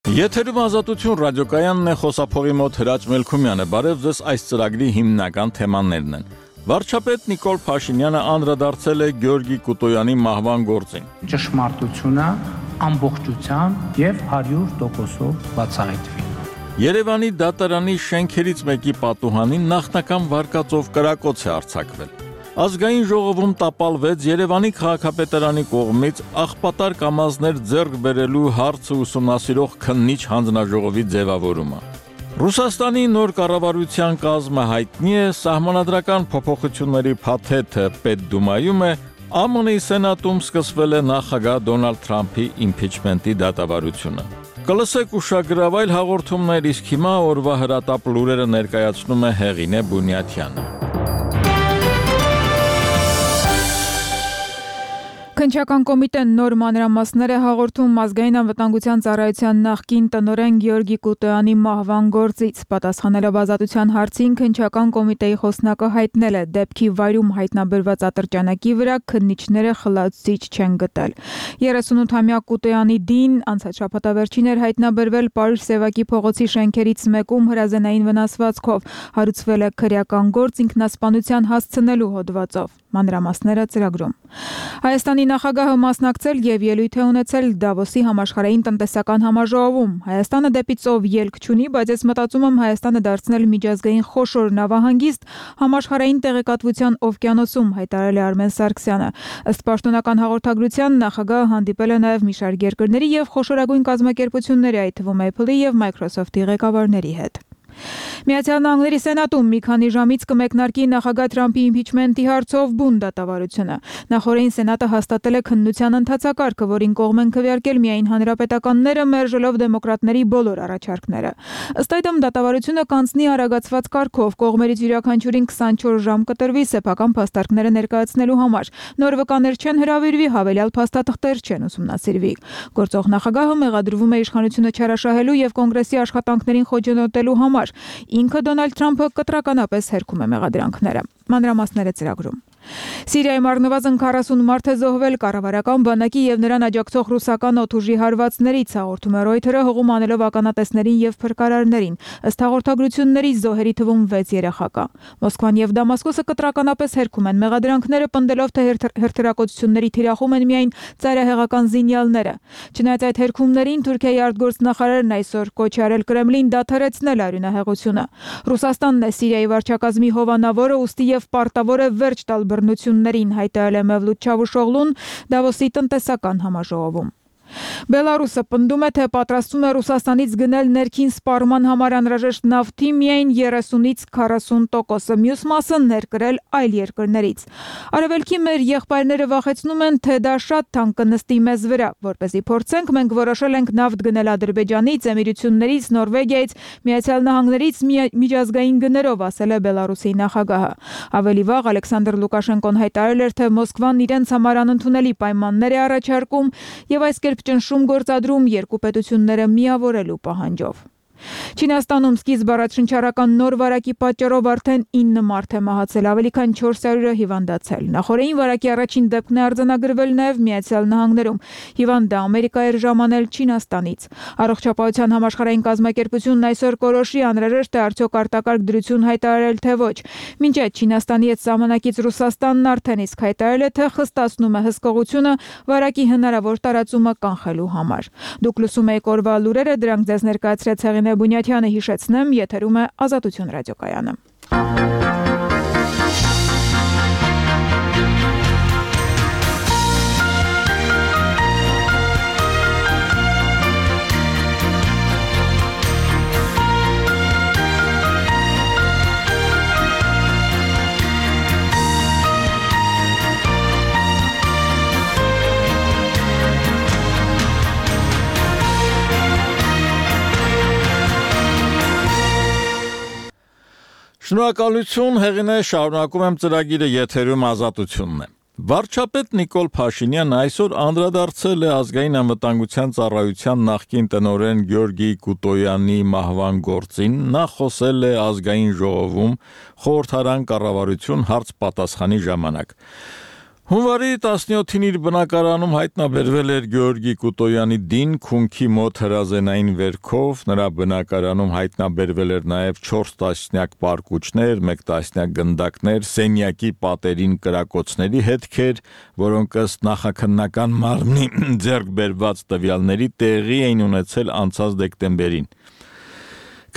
Եթերում ազատություն ռադիոկայանն է, խոսափողի մոտ Հրաչ Մելքումյանը, բարև ձեզ, այս ծրագրի հիմնական թեմաներն են։ Վարչապետ Նիկոլ Փաշինյանը անդրադարձել է Գյորգի Կուտոյանի մահվան գործին։ Ճշմարտությունը ամբողջությամբ եւ 100%-ով բացահայտվի։ Երևանի դատարանի շենքերից մեկի պատուհանին նախնական վարկածով կրակոց է արձակվել։ Ազգային ժողովում տապալվեց Երևանի քաղաքապետարանի կողմից աղբատար կամազներ ձեռք բերելու հարցը ուսումնասիրող քննիչ հանձնաժողովի ձևավորումը։ Ռուսաստանի նոր կառավարության կազմը հայտնի է, սահմանադրական փոփոխությունների փաթեթը Պետդումայում է, ԱՄՆ-ի Սենատում սկսվել է նախագահ Դոնալդ Թրամփի իմփիչմենտի դատավարությունը։ Կլսեք ուշագրավ այլ հաղորդումներ, իսկ հիմա օրվա հրատապ լուրերը ներկայացնում է Հեղինե Բունյաթյանը։ Քննչական կոմիտեն նոր մանրամասներ է հաղորդում Ազգային անվտանգության ծառայության նախկին տնօրեն Գյորգի Կուտոյանի մահվան գործից։ Պատասխանելով ազատության հարցին, քննչական կոմիտեի խոսնակը հայտնել է, դեպքի վայրում հայտնաբերված ատրճանակի վրա քննիչները խլացուցիչ չեն գտել։ 38-ամյա Կուտոյանի դին անցած շաբաթավերջին էր հայտնաբերվել Պարուհ Սևակի փողոցի շենքերից մեկում հրազենային վնասվածքով, հարուցվել է քրեական գործ ինքնասպանության հասցնելու հոդվածով։ Մանրամասները ծրագրում։ Հայաստանի նախագահը մասնակցել եւ ելույթ է ունեցել Դավոսի համաշխարհային տնտեսական համաժողովում։ Հայաստանը դեպի ծով ելք չունի, բայց ես մտածում եմ Հայաստանը դարձնել միջազգային խոշոր նավահանգիստ համաշխարհային տեղեկատվության օվկիանոսում, հայտարարել է Արմեն Սարգսյանը։ Ըստ պաշտոնական հաղորդագրության նախագահը հանդիպել է նաեւ մի շարք երկրների եւ խոշորագույն կազմակերպությունների, այդ թվում Apple-ի եւ Microsoft-ի ղեկավարների հետ։ Միացյալ Նահանգների Սենատում մի քանի ժամից կմեկնարկի նախագահ Թրամփի իմփիչմենտի հարցով բուն դատավարությունը։ Նախորդին Սենատը հաստատել է քննության ընթացակարգը, որին կողմ են քվեարկել միայն հանրապետականները, մերժելով դեմոկրատների բոլոր առաջարկները։ Ըստ այդմ դատավարությունը կանցնի արագացված կարգով, կողմերից յուրաքանչյուրին 24 ժամ կտրվի սեփական փաստարկները ներկայացնելու համար։ Նոր վկաներ չեն հրավիրվի, հավելյալ փաստաթղթեր չեն ուսումնասիրվի։ Գործող նախագահը մեղադրվում է իշխանությունը չարաշահելու եւ կոնգրեսի աշխատանքներին խոչընդոտելու համար։ Ինքը Դոնալդ Թրամփը կտրականապես հերքում է մեղադրանքները։ Մանրամասները ծրագրում։ Սիրիայում առնվազն 40 մարդ է զոհվել կառավարական բանակի եւ նրան աջակցող ռուսական օդուժի հարվածներից, հաղորդում է Reuters-ը հողում անելով ականատեսներին եւ փրկարարներին։ Ըստ հաղորդագրությունների զոհերի թվում 6 երեխա կա։ Մոսկվան եւ Դամասկոսը կտրականապես հերքում են մեղադրանքները, պնդելով թե հրթիռակոծությունների թիրախում են միայն ծայրահեղական զինյալները։ Չնայած այդ հերքումներին Թուրքիայի արտգործնախարարն այսօր կոչ է արել Կրեմլին դադարեցնել արյունահեղությունը։ Ռուսաստանն է Սիրիայի վարչակազմի հովանավորը, ուստի եւ պարտավոր է վերջ տալ բռնություններին, հայտարարել է Մևլութ Չավուշօղլուն Դավոսի տնտեսական համաժողովում։ Բելարուսը պնդում է, թե պատրաստվում է Ռուսաստանից գնել ներքին սպառման համար անհրաժեշտ նավթի միայն 30-ից 40%, մյուս մասը ներկրել այլ երկրներից։ Արևելքի մեր եղբայրները վախեցնում են, թե դա շատ թանկ կնստի մեզ վրա, որպեսզի փորձենք, մենք որոշել ենք նավթ գնել Ադրբեջանից, Էմիրություններից, Նորվեգիայից, Միացյալ Նահանգներից միջազգային գներով, ասել է Բելարուսի նախագահը։ Ավելի վաղ Ալեքսանդր Լուկաշենկոն հայտարարել էր, թե Մոսկվան իրենց համար անընդունելի պայմաններ է առաջարկում եւ այս կերպ ճնշում գործադրում երկու պետությունները միավորելու պահանջով։ Չինաստանում սկիզբ առաջնչարական նոր վարակի պատճառով արդեն 9 մարդ է մահացել, ավելի քան 400-ը հիվանդացել։ Նախորդին վարակի առաջին դեպքն է արձանագրվել նաև Միացյալ Նահանգներում։ Հիվանդը Ամերիկա էր ժամանել Չինաստանից։ Առողջապահության համաշխարհային կազմակերպությունն այսօր կորոշի անհրաժեշտ է արդյոք արտակարգ դրություն հայտարարել թե ոչ։ Մինչ այդ Չինաստանի հետ սահմանակից Ռուսաստանն արդեն իսկ հայտարարել է, թե խստացնում է հսկողությունը վարակի հնարավոր տարածումը կանխելու համար։ Դուք լսում եք օրվա լուրերը, դրանք ձեզ ներկայացրեց Հեղինե Բունյաթյանը, հիշեցնեմ, եթերում է Ազատություն ռադիոկայանը։ Շնորհակալություն, Հեղինե, շարունակում եմ ծրագիրը, եթերում Ազատությունն է։ Վարչապետ Նիկոլ Փաշինյանը այսօր անդրադարձել է Ազգային անվտանգության ծառայության նախկին տնօրեն Գյորգի Կուտոյանի մահվան գործին, նա խոսել է Ազգային ժողովում խորհրդարան կառավարություն հարց պատասխանի ժամանակ։ Հունվարի 17-ին իր բնակարանում հայտնաբերվել էր Գեորգի Կուտոյանի դին քունքի մոտ հրազենային վերքով, նրա բնակարանում հայտնաբերվել էր նաև 4 տասնյակ պարկուճներ, 1 տասնյակ գնդակներ, սենյակի պատերին կրակոցների հետքեր, որոնք ըստ նախաքննական մարմնի ձեռք բերված տվյալների տեղի էին ունեցել անցած դեկտեմբերին։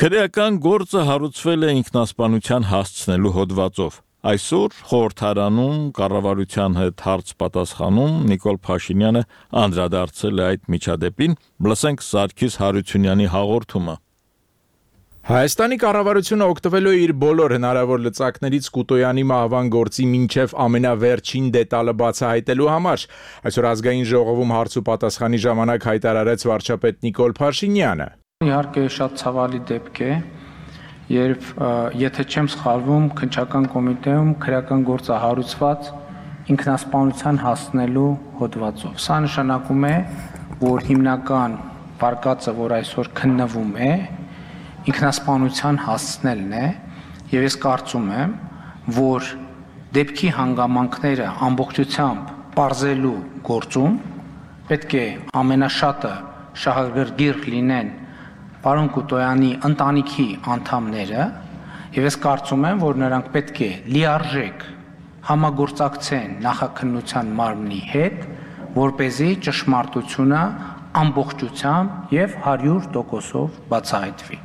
Քրեական գործը հարուցվել է ինքնասպանության հասցնելու հոդվածով։ Այսօր խորհրդարանում կառավարության հետ հարց պատասխանում Նիկոլ Փաշինյանը անդրադարձել է այդ միջադեպին, լսենք Սարգիս Հարությունյանի հաղորդումը։ Հայաստանի կառավարությունը օգտվելու է իր բոլոր հնարավոր լծակներից Կուտոյանի մահվան գործի մինչև ամենավերջին դետալը բացահայտելու համար։ Այսօր ազգային ժողովում հարց ու պատասխանի ժամանակ հայտարարեց վարչապետ Նիկոլ Փաշինյանը։ Իհարկե շատ ցավալի դեպք է, երբ եթե չեմ սխալվում, քննչական կոմիտեում քրեական գործը հարուցված ինքնասպանության հասնելու հոդվածով։ Սա նշանակում է, որ հիմնական վարկածը, որ այսօր քննվում է, ինքնասպանության հասցնելն է, եւ ես կարծում եմ, որ դեպքի հանգամանքները ամբողջությամբ պարզելու գործում պետք է ամենաշատը շահագրգիռ լինեն պարոն Կուտոյանի ընտանիքի անդամները, եւ ես կարծում եմ, որ նրանք պետք է լիարժեք համագործակցեն նախաքննության մարմնի հետ, որպեսզի ճշմարտությունը ամբողջությամբ եւ 100%-ով բացահայտվի։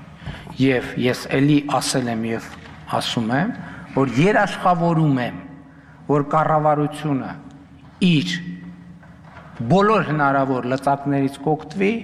Եվ ես ելի ասել եմ եւ ասում եմ, որ երաշխավորում եմ, որ կառավարությունը իր բոլոր հնարավոր լծակներից կօգտվի,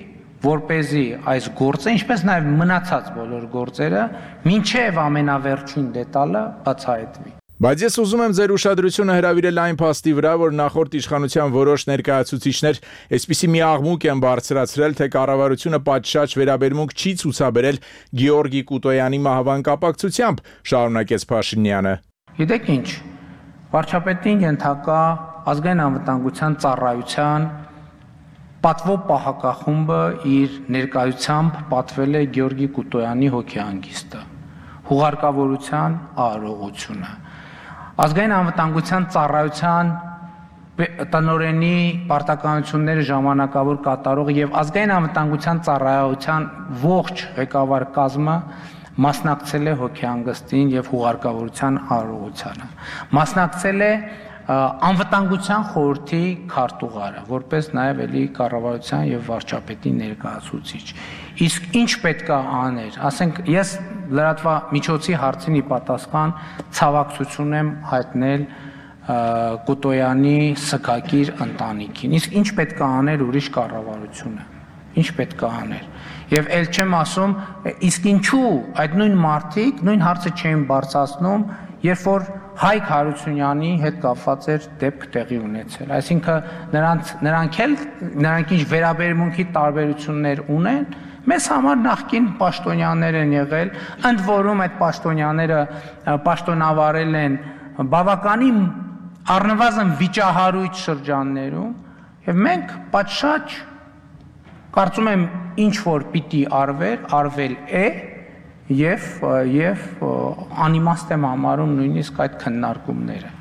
որպեսզի այս գործը, ինչպես նաև մնացած բոլոր գործերը, մինչև ամենավերջին դետալը բացահայտվի։ Բայց ես ուզում եմ ձեր ուշադրությունը հրավիրել այն փաստի վրա, որ նախորդ իշխանության որոշ ներկայացուցիչներ այսպիսի մի աղմուկ են բարձրացրել, թե կառավարությունը պատշաճ վերաբերմունք չի ցուցաբերել Գեորգի Կուտոյանի մահվան կապակցությամբ, շարունակեց Փաշինյանը։ Գիտեք ինչ, վարչապետին ենթակա ազգային անվտանգության ծառայության պատվո պահակախումբը իր ներկայությամբ պատվել է Գեորգի Կուտոյանի հոգեհանգիստը, հուղարկավորության արարողությունը, ազգային անվտանգության ծառայության տնօրենի պարտականությունները ժամանակավոր կատարող եւ ազգային անվտանգության ծառայության ողջ ղեկավար կազմը մասնակցել է հոգեհանգստին եւ հուղարկավորության արարողությանը, մասնակցել է անվտանգության խորհրդի քարտուղարը, որպես նաև էլի կառավարության եւ վարչապետի ներկայացուցիչ։ Իսկ ինչ պետք է աներ, ասենք ես լրատվամիջոցի հարցին ի պատասխան ցավակցություն եմ հայտնել Կուտոյանի սգակիր ընտանիքին։ Իսկ ինչ պետք է աներ ուրիշ կառավարությունը։ Ինչ պետք է աներ։ Եվ ել չեմ ասում, իսկ ինչու այդ նույն մարդիկ նույն հարցը չէին բարձրացնում, երբ որ Հայկ Հարությունյանի հետ կապված էր դեպք տեղի ունեցել։ Այսինքն նրանք ինչ վերաբերմունքի տարբերություններ ունեն, մեզ համար նախկին պաշտոնյաներ են եղել, ընդ որում այդ պաշտոնյաները պաշտոնավարել են բավականին առնվազն վիճահարույց շրջաններում, եւ մենք պատշաճ կարծում եմ ինչ որ պիտի արվել է եւ անիմաստ եմ համարում նույնիսկ այդ քննարկումները։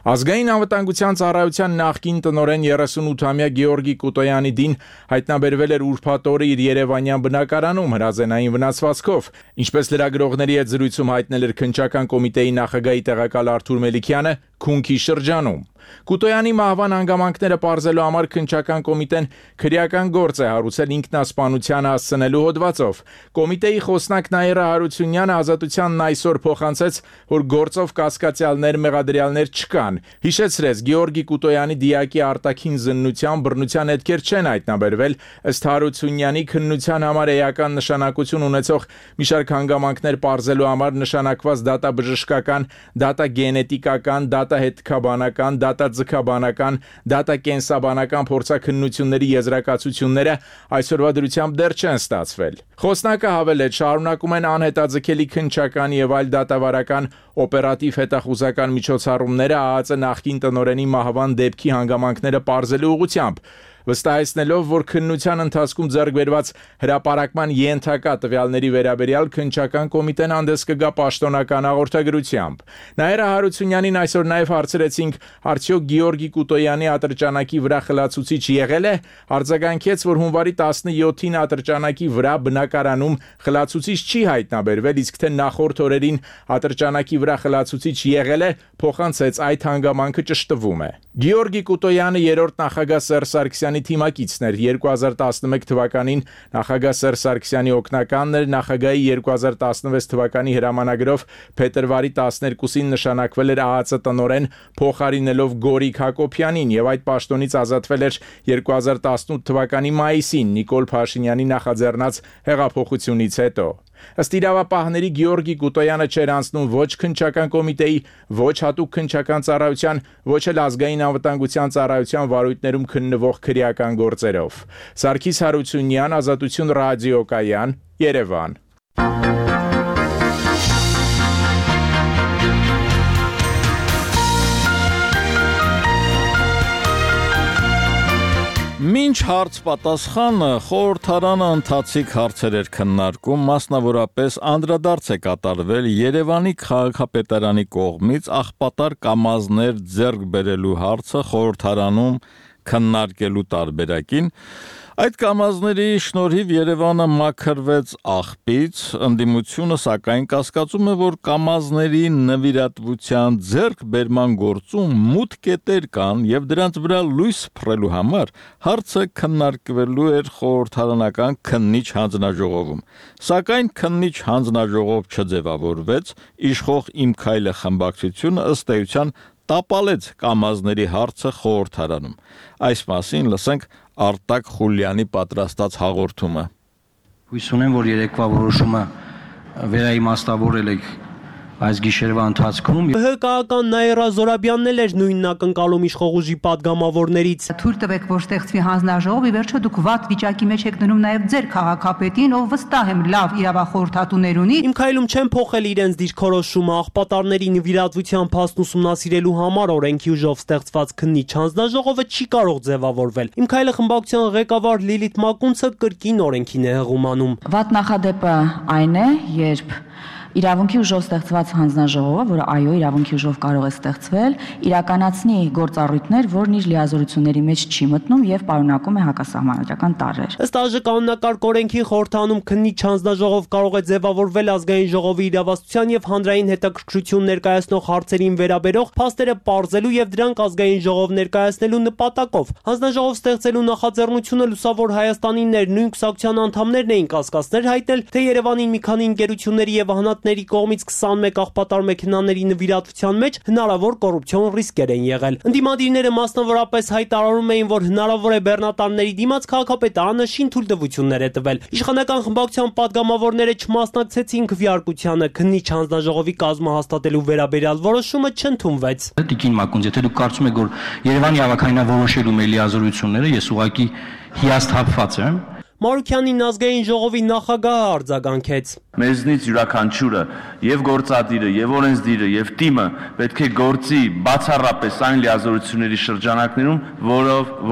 Ազգային անվտանգության ծառայության նախկին տնօրեն 38-ամյա Գեորգի Կուտոյանի դին հայտնաբերվել էր ուրբաթ օրը իր երևանյան բնակարանում հրազենային վնասվածքով, ինչպես լրագրողների հետ զրույցում հայտնել էր քննչական կոմիտեի նախագահի տեղակալ Արթուր Մելիքյանը Քունքի շրջանում։ Կուտոյանի մահվան հանգամանքները պարզելու համար քննչական կոմիտեն քրեական գործ է հարուցել ինքնասպանության հասցնելու հոդվածով։ Կոմիտեի խոսնակ Նաիրա Հարությունյանը Ազատությանն այսօր փոխանցեց, որ գործով կասկածյալներ, մեղադրյալներ չկան։ Հիշեցրեց, Գեորգի Կուտոյանի դիակի արտաքին զննության բռնության հետքեր չեն հայտնաբերվել, ըստ Հարությունյանի քննության համար էական նշանակություն ունեցող մի շարք հանգամանքներ պարզելու համար նշանակված դատաբժշկական, դատագենետիկական, դատահետքաբանական, դատաձգաբանական, դատակենսաբանական փորձաքննությունների եզրակացությունները այսօրվա դրությամբ դեռ չեն ստացվել։ Խոսնակը հավելեց, շարունակում են անհետաձգելի քննչական եւ այլ դատավարական օպերատիվ հետախուզական միջոցառումները ԱԱԾ նախկին տնօրենի մահվան դեպքի հանգամանքները պարզելու ուղղությամբ։ վստահեցնելով, որ քննության ընթացքում ձեռք բերված հրապարակման ենթակա տվյալների վերաբերյալ քննչական կոմիտեն հանդես կգա պաշտոնական հաղորդագրությամբ։ Նաիրա Հարությունյանին այսօր նաև հարցրեցինք, արդյոք Գեորգի Կուտոյանի ատրճանակի վրա խլացուցիչ եղել է, արձագանքեց, որ հունվարի 17-ին ատրճանակի վրա բնակարանում խլացուցիչ չի հայտնաբերվել, իսկ թե նախորդ օրերին ատրճանակի վրա խլացուցիչ եղել է, փոխանցեց այդ հանգամանքը ճշտվում է։ Գեորգի Կուտոյանը երրորդ նախագահ Սերժ Սարգսյանի թիմակիցն էր, 2011 թվականին նախագահ Սերժ Սարգսյանի օգնականն էր, նախագահի 2016 թվականի հրամանագրով փետրվարի 12-ին նշանակվել էր ԱԱԾ տնօրեն, փոխարինելով Գորիկ Հակոբյանին եւ այդ պաշտոնից ազատվել էր 2018 թվականի մայիսին Նիկոլ Փաշինյանի նախաձեռնած հեղափոխությունից հետո։ Ըստ իրավապահների Գեորգի Կուտոյանը չէր անցնում ոչ քննչական կոմիտեի, ոչ հատուկ քննչական ծառայության, ոչ էլ ազգային անվտանգության ծառայության վարույթներում քննվող քրեական գործերով։ Սարգիս Հարությունյան, Ազատություն ռադիոկայան, Երևան։ Մինչ հարց պատասխանը խորհրդարանը ընթացիկ հարցեր էր քննարկում, մասնավորապես անդրադարձ է կատարվել Երևանի քաղաքապետարանի կողմից աղբատար կամազներ ձեռք բերելու հարցը խորհրդարանում քննարկելու տարբերակին։ Այդ կամազների շնորհիվ Երևանը մաքրվեց աղբից, ընդդիմությունը սակայն կասկածում է, որ կամազների նվիրատվության ձեռքբերման գործում մութ կետեր կան եւ դրանց վրա լույս փռելու համար հարցը քննարկվելու էր խորհրդարանական քննիչ հանձնաժողովում։ Սակայն քննիչ հանձնաժողով չձևավորվեց, իշխող Իմ քայլը խմբակցությունը ըստ էության տապալեց կամազների հարցը խորհրդարանում։ Այս մասին լսենք Արտակ Խուլյանի պատրաստած հաղորդումը։ Հույս ունեմ, որ երեկվա որոշումը վերաիմաստավորել եք այս գիշերվա ընթացքում։ ՀԿ-ական Նաիրա Զորաբյանն էլ էր նույնն ակնկալում իշխող ուժի падգամավորներից։ Թույլ տվեք, որ ստեղծվի հանձնաժողով, ի վերջո դուք վատ վիճակի մեջ եք դնում նաև ձեր քաղաքապետին, ով վստահ եմ լավ իրավախորհրդատուներ ունի։ Իմ քայլում չեն փոխել իրենց դիրքորոշումը աղբատարների նվիրատվության փաստն ուսումնասիրելու համար օրենքի ուժով ստեղծված քննիչ հանձնաժողովը չի կարող ձևավորվել։ Իմ քայլը խմբակցության ղեկավար Լիլիթ Մակունցը կրկին օրենքին է հղումանում։ Վատ նախադեպը այն է, երբ իրավունքի ուժով ստեղծված հանձնաժողովը, որը այո, իրավունքի ուժով կարող է ստեղծվել, իրականացնի գործառույթներ, որն իր լիազորությունների մեջ չի մտնում եւ պարունակում է հակասահմանադրական տարրեր։ Ըստ ԱԺ կանոնակարգ օրենքի խորհրդանում քննիչ հանձնաժողով կարող է ձևավորվել ազգային ժողովի իրավասության եւ հանրային հետաքրքրություն ներկայացնող հարցերին վերաբերող փաստերը պարզելու եւ դրանք ազգային ժողով ներկայացնելու նպատակով։ Հանձնաժողով ստեղծելու նախաձեռնությունը Լուսավոր Հայաստանի նույն կուսակցության անդամներն էին կասկածներ հայտնել, թե Երևանին մի քանի ընկերությունների եւ ների կողմից 21 աղբատար մեքենաների նվիրատվության մեջ հնարավոր կոռուպցիոն ռիսկեր են եղել։ Ընդդիմադիրները մասնավորապես հայտարարում էին, որ հնարավոր է բեռնատարների դիմաց քաղաքապետարանը շինթույլտվություններ է տվել։ Իշխանական խմբակցության падգամավորները չմասնակցեցին քվեարկությանը, քննիչ հանձնաժողովի կազմը հաստատելու վերաբերյալ որոշումը չընդունվեց։ Տիկին Մակունց, եթե դուք կարծում եք, որ Երևանի ավականավորոշելու մեր լիազորությունները, ես ուղղակի հիասթափված եմ։ Մարուքյանին ազգային ժողովի նախագահը արձագանքեց։ Մեզնից յուրաքանչյուրը եւ գործադիրը եւ օրենսդիրը եւ թիմը պետք է գործի բացառապես այն լիազորությունների շրջանակներում,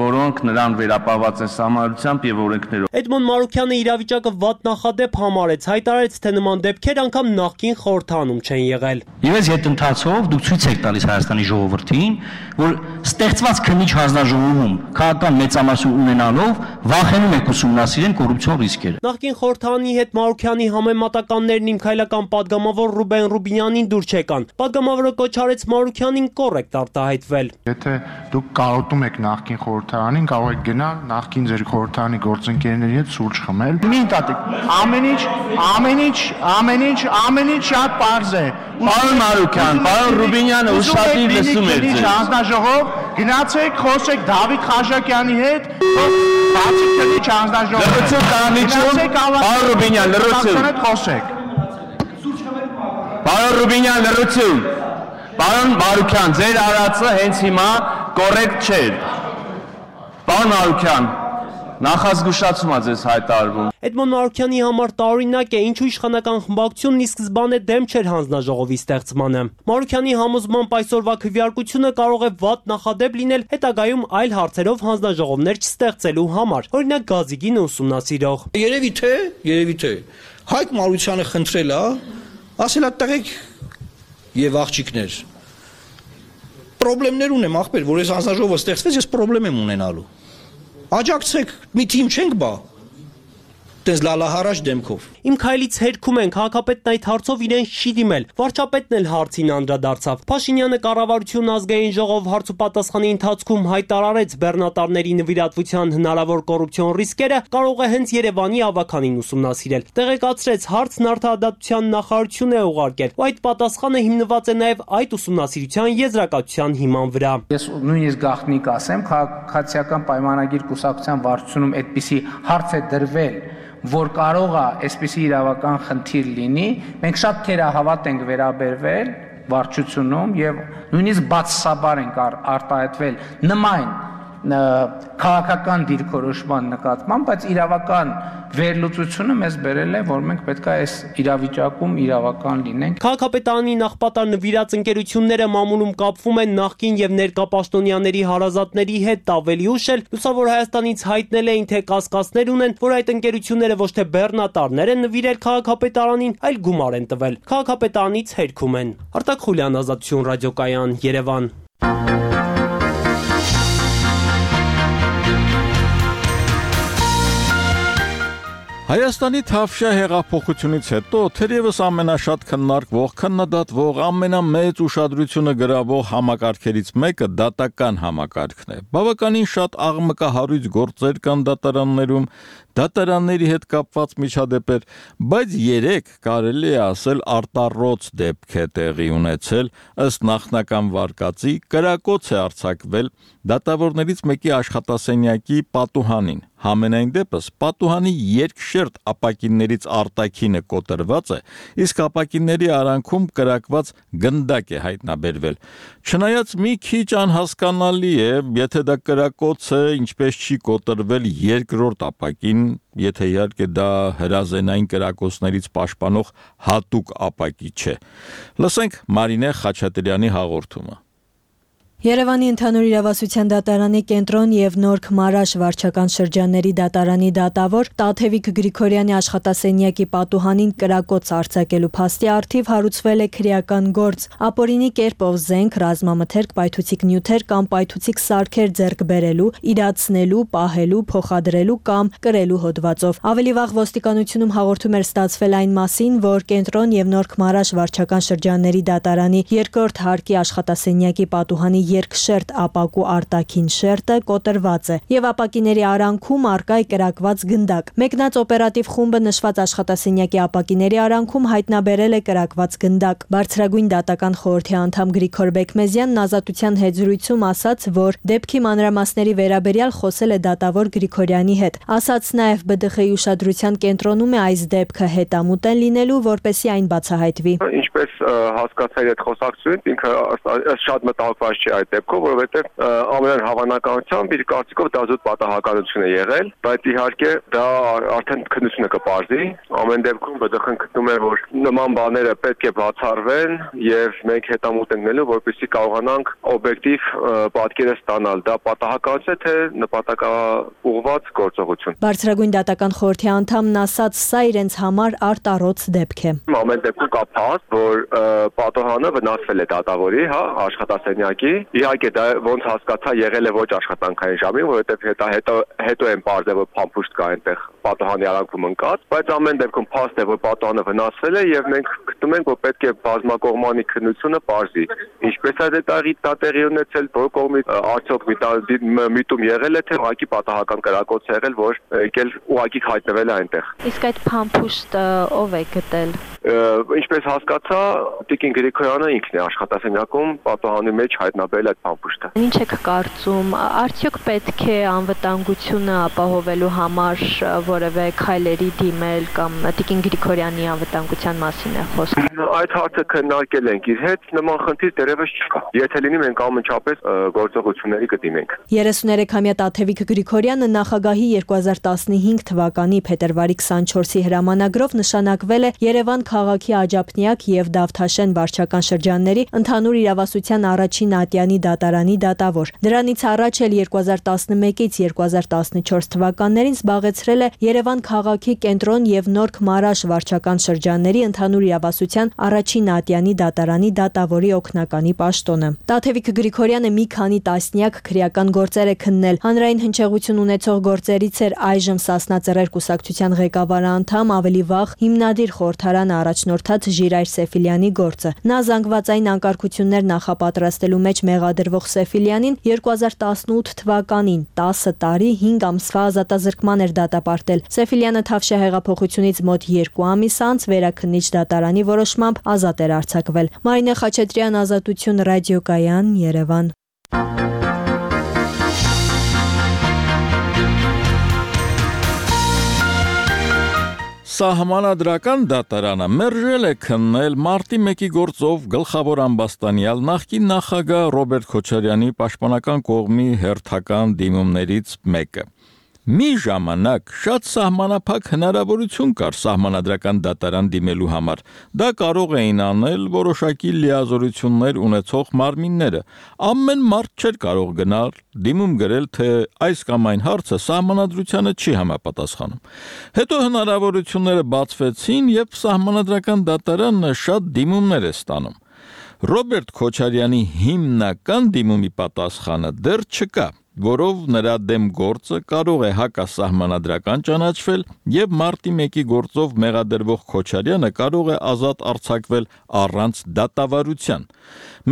որոնք նրան վերապահված են սահմանությամբ եւ օրենքներով։ Էդմոն Մարուքյանը իրավիճակը վատ նախադեպ համարեց, հայտարարեց, թե նման դեպքեր անգամ նախկին խորհրդանում չեն եղել։ Եվ այս հետընթացով դուք ցույց եք տալիս Հայաստանի ժողովրդին, որ ստեղծված քննիչ հանձնաժողովում քաղաքական մեծամասն ունենալով վախենում եք ուսումնասիրեն կոռուպցիոն ռիսկերը։ Նախկին խորհրդանի հետ Մարուքյանի համեմատականներն իմ քայլական падգամավոր Ռուբեն Ռուբինյանին դուր չեկան։ Падգամավորը կոչ արեց Մարուքյանին կոռեկտ արտահայտվել։ Եթե դուք կարոտում եք նախկին խորհրդարանին, կարող եք գնալ նախկին ձեր խորհրդարանի գործընկերների հետ սուրճ խմել։ Մի տատիկ, ամեն ինչ շատ պարզ է։ Պարոն Մարուքյան, պարոն Ռուբինյանը ուշադիր լսում էր ձեզ։ Հանձնաժողով, գնացեք, խոսեք Դավիթ Խաչակյանի հետ, բացի քննիչ հանձնաժողով։ Լրացում կանիչում, պարոն Ռուբինյան, լրացում։ Խոսեք։ Պարոն Ռուբինյան, լրացում։ Պարոն Մարուքյան, ձեր արածը հենց հիմա կոռեկտ չէր։ Պարոն Մարուքյան, Նախազգուշացում է ձեզ հայտարարվում։ Էդմոն Մարուկյանի համար տարօրինակ է, ինչու իշխանական խմբակցությունն ի սկզբանե դեմ չէր հանձնաժողովի ստեղծմանը։ Մարուկյանի համոզմամբ այսօրվա քվեարկությունը կարող է վատ նախադեպ լինել հետագայում այլ հարցերով հանձնաժողովներ չստեղծելու համար, օրինակ Գազիկինը ուսումնասիրող։ Երևի թե Հայկ Մարությանը խնդրել է, ասել է տղեկ եւ աղջիկներ։ Պրոբլեմներ ունեմ ախպեր, որ այս հանձնաժողովը ստեղծվեց, ես պրոբլեմ եմ ունենալու։ Աջակցեք, մի թիմ չենք բա։ Տես լալահարաշ դեմքով։ Իմ քայլից հերքում են, քաղաքապետն այդ հարցով իրեն չի դիմել։ Վարչապետն էլ հարցին անդրադարձավ։ Փաշինյանը կառավարություն ազգային ժողով հարց ու պատասխանի ընթացքում հայտարարեց բեռնատարների նվիրատվության հնարավոր կոռուպցիոն ռիսկերը կարող է հենց Երևանի ավականին ուսումնասիրել։ Տեղեկացրեց, հարցն արդարադատության նախարարություն է ուղարկել, ու այդ պատասխանը հիմնված է նաև այդ ուսումնասիրության եզրակացության հիման վրա։ Ես նույնիսկ գաղտնիք ասեմ, քաղաքացիական պայմանագիր կուսակցության վարչությունում այդպիսի հարց է դրվել, որ կարող է այսպիսի իրավական խնդիր լինի, մենք շատ թերահավատ ենք վերաբերվել վարչությունում եւ նույնիսկ բացասաբար ենք արտահայտվել նման քաղաքական դիրքորոշման նկատմամբ, բայց իրավական վերլուծությունը մեզ բերել է, որ մենք պետք է այս իրավիճակում իրավական լինենք։ Քաղաքապետարանի նախպատար նվիրած ընկերությունները մամուլում կապվում են նախկին եւ ներկա պաշտոնյաների հարազատների հետ, ավելի ուշ էլ Լուսավոր Հայաստանից հայտնել էին, թե կասկածներ ունեն, որ այդ ընկերությունները ոչ թե բեռնատարներ են նվիրել քաղաքապետարանին, այլ գումար են տվել։ Քաղաքապետարանից հերքում են։ Արտակ Խուլյան, Ազատություն ռադիոկայան, Երևան։ Հայաստանի Թավշյա հեղափոխությունից հետո թերևս ամենաշատ քննարկվող, քննադատվող, ամենամեծ ուշադրությունը գրավող համակարգերից մեկը դատական համակարգն է։ Բավականին շատ աղմկահարույց գործեր կան դատարաններում, դատարանների հետ կապված միջադեպեր, բայց երեք կարելի է ասել արտառոց դեպք է տեղի ունեցել, ըստ նախնական վարկածի կրակոց է արձակվել դատավորներից մեկի աշխատասենյակի պատուհանին։ Համենայն դեպս պատուհանի երկշերտ ապակիններից արտաքինը կոտրված է, իսկ ապակինների արանքում կրակված գնդակ է հայտնաբերվել։ Չնայած մի քիչ անհասկանալի է, եթե դա կրակոց է, ինչպես չի կոտրվել երկրորդ ապակին, եթե իհարկե դա հրազենային կրակոցներից պաշտպանող հատուկ ապակի չէ։ Լսենք Մարինե Խաչատրյանի հաղորդումը։ Երևանի ընդհանուր իրավասության դատարանի կենտրոն եւ Նորք Մարաշ վարչական շրջանների դատարանի դատավոր Տաթևիկ Գրիգորյանի աշխատասենյակի պատուհանին կրակոց արձակելու փաստի առթիվ հարուցվել է քրեական գործ, ապօրինի կերպով զենք, ռազմամթերք, պայթուցիկ նյութեր կամ պայթուցիկ սարքեր ձեռք բերելու, իրացնելու, պահելու, փոխադրելու կամ կրելու հոդվածով։ Ավելի վաղ ոստիկանությունում հաղորդում էր ստացվել այն մասին, որ կենտրոն եւ Նորք Մարաշ վարչական շրջանների դատարանի երկրորդ հարկի աշխատասենյակի պատուհանի երկշերտ ապակու արտաքին շերտը կոտրված է եւ ապակիների արանքում առկա է կրակված գնդակ։ Մեկնած օպերատիվ խումբը նշված աշխատասենյակի ապակիների արանքում հայտնաբերել է կրակված գնդակ։ Բարձրագույն դատական խորհրդի անդամ Գրիգոր Բեկմեզյանն Ազատության հետ զրույցում ասաց, որ դեպքի մանրամասների վերաբերյալ խոսել է դատավոր Գրիգորյանի հետ։ Ասաց նաեւ ԲԴԽ-ի ուշադրության կենտրոնում է այս դեպքը հետամուտ են լինելու, որպեսզի այն բացահայտվի։ Ինչպես հասկացա այդ խոսակցությունից, ինքը շատ մտահոգված չէ այդ դեպքով, որովհետև ամենայն հավանականությամբ իր կարծիքով դա զուտ պատահականություն է եղել, բայց իհարկե դա արդեն քննությունը կպարզի։ Ամեն դեպքում ԲԴԽ-ն գտնում է, որ նման բաները պետք է բացառվեն եւ մենք հետամուտ ենք նելու, որպեսզի կարողանանք օբյեկտիվ պատկերը ստանալ։ Դա պատահականություն է, թե նպատակաուղղված գործողություն։ Բարձրագույն դատական խորհրդի անդամն ասաց, սա իրենց համար արտառոց դեպք է։ Ամեն դեպքում կա փաստ, որ պատահանը վնասվել է դատավորի, աշխատասենյակի։ Իհարկե դա ոնց հասկացա եղել է ոչ աշխատանքային ժամին, որովհետև հետո են բարձր որ փամփուշտ կա այնտեղ պատահանի արանքում ընկած, բայց ամեն դեպքում փաստ է որ պատահանը վնասվել է եւ մենք գտնում ենք որ պետք է բազմակողմանի քննությունը բարձի։ Ինչպես է դա տեղի ունեցել, որ կողմից արդյոք միտում եղել է թե ուղղակի պատահական կրակոց եղել, որ եկել ուղղակի հայտնվել է այնտեղ։ Իսկ այդ փամփուշտը ով է գտել։ Ինչպես հասկացա, Տիկին Գրիգորյանը ինքն է աշխատասենյակում պատահանի մեջ հայտնաբերել այդ փամփուշտը։ Ինչ եք կարծում, արդյոք պետք է անվտանգությունը ապահովելու համար որևէ քայլերի դիմել կամ Տիկին Գրիգորյանի անվտանգության մասին է խոսքը։ Այդ հարցը քննարկել ենք իր հետ, նման խնդիր դեռևս չկա։ Եթե լինի մենք ամենչապես գործողությունների կդիմենք։ 33-ամյա Տաթևիկ Գրիգորյանը նախագահի 2015 թվականի փետրվարի 24-ի հրամանագրով նշանակվել է Երևան քաղաքի Աջափնյակ եւ Դավթաշեն վարչական շրջանների ընդհանուր իրավասության առաջին ատյանի դատարանի դատավոր։ Դրանից առաջ էլ 2011-ից 2014 թվականներին զբաղեցրել է Երևան քաղաքի Կենտրոն եւ Նորք Մարաշ վարչական շրջանների ընդհանուր իրավասության առաջին ատյանի դատարանի դատավորի օգնականի պաշտոնը։ Տաթևիկ Գրիգորյանը մի քանի տասնյակ քրեական գործեր է քննել։ Հանրային հնչեղություն ունեցող գործերից էր այժմ Սասնա Ծռեր կուսակցության ղեկավար անդամ, ավելի վաղ հիմնադիր խորհրդարանը առաջնորդած Ժիրայր Սեֆիլյանի գործը։ Նա զանգվածային անկարգություններ նախապատրաստելու մեջ մեղադրվող Սեֆիլյանին 2018 թվականին 10 տարի 5 ամսվա ազատազրկման էր դատապարտել։ Սեֆիլյանը Թավշյա հեղափոխությունից մոտ 2 ամիս անց վերաքննիչ դատարանի որոշմամբ ազատ էր արձակվել։ Մարինե Խաչատրյան, Ազատություն ռադիոկայան, Երևան։ Սահմանադրական դատարանը մերժել է քննել մարտի 1-ի գործով գլխավոր ամբաստանյալ նախկին նախագահ Ռոբերտ Քոչարյանի պաշտպանական կողմի հերթական դիմումներից մեկը։ Մի ժամանակ շատ սահմանափակ հնարավորություն կար սահմանադրական դատարան դիմելու համար։ Դա կարող էին անել որոշակի լիազորություններ ունեցող մարմինները։ Ամեն մարդ չէր կարող գնալ դիմում գրել, թե այս կամ այն հարցը սահմանադրությանը չի համապատասխանում։ Հետո հնարավորությունները բացվեցին, եւ սահմանադրական դատարանը շատ դիմումներ է ստանում։ Ռոբերտ Քոչարյանի հիմնական դիմումի պատասխանը դեռ չկա, որով նրա դեմ գործը կարող է հակասահմանադրական ճանաչվել եւ մարտի 1-ի գործով մեղադրվող Քոչարյանը կարող է ազատ արձակվել առանց դատավարության։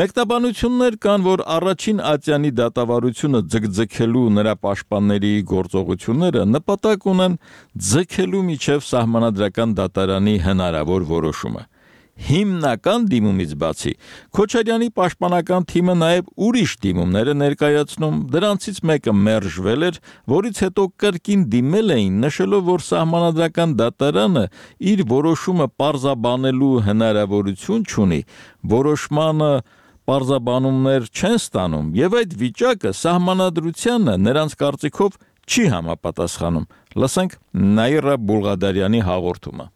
Մեկնաբանություններ կան, որ առաջին ատյանի դատավարությունը ձգձգելու նրա պաշտպանների գործողությունները նպատակ ունեն ձգելու միջև սահմանադրական դատարանի հնարավոր որոշումը։ Հիմնական դիմումից բացի Քոչարյանի պաշտպանական թիմը նաև ուրիշ դիմումներ է ներկայացնում, դրանցից մեկը մերժվել էր, որից հետո կրկին դիմել էին, նշելով, որ սահմանադրական դատարանը իր որոշումը պարզաբանելու հնարավորություն չունի, որոշմանը պարզաբանումներ չեն ստանում, եւ այդ վիճակը սահմանադրությանը նրանց կարծիքով չի համապատասխանում։ Լսենք Նաիրա Բուլղադարյանի հաղորդումը։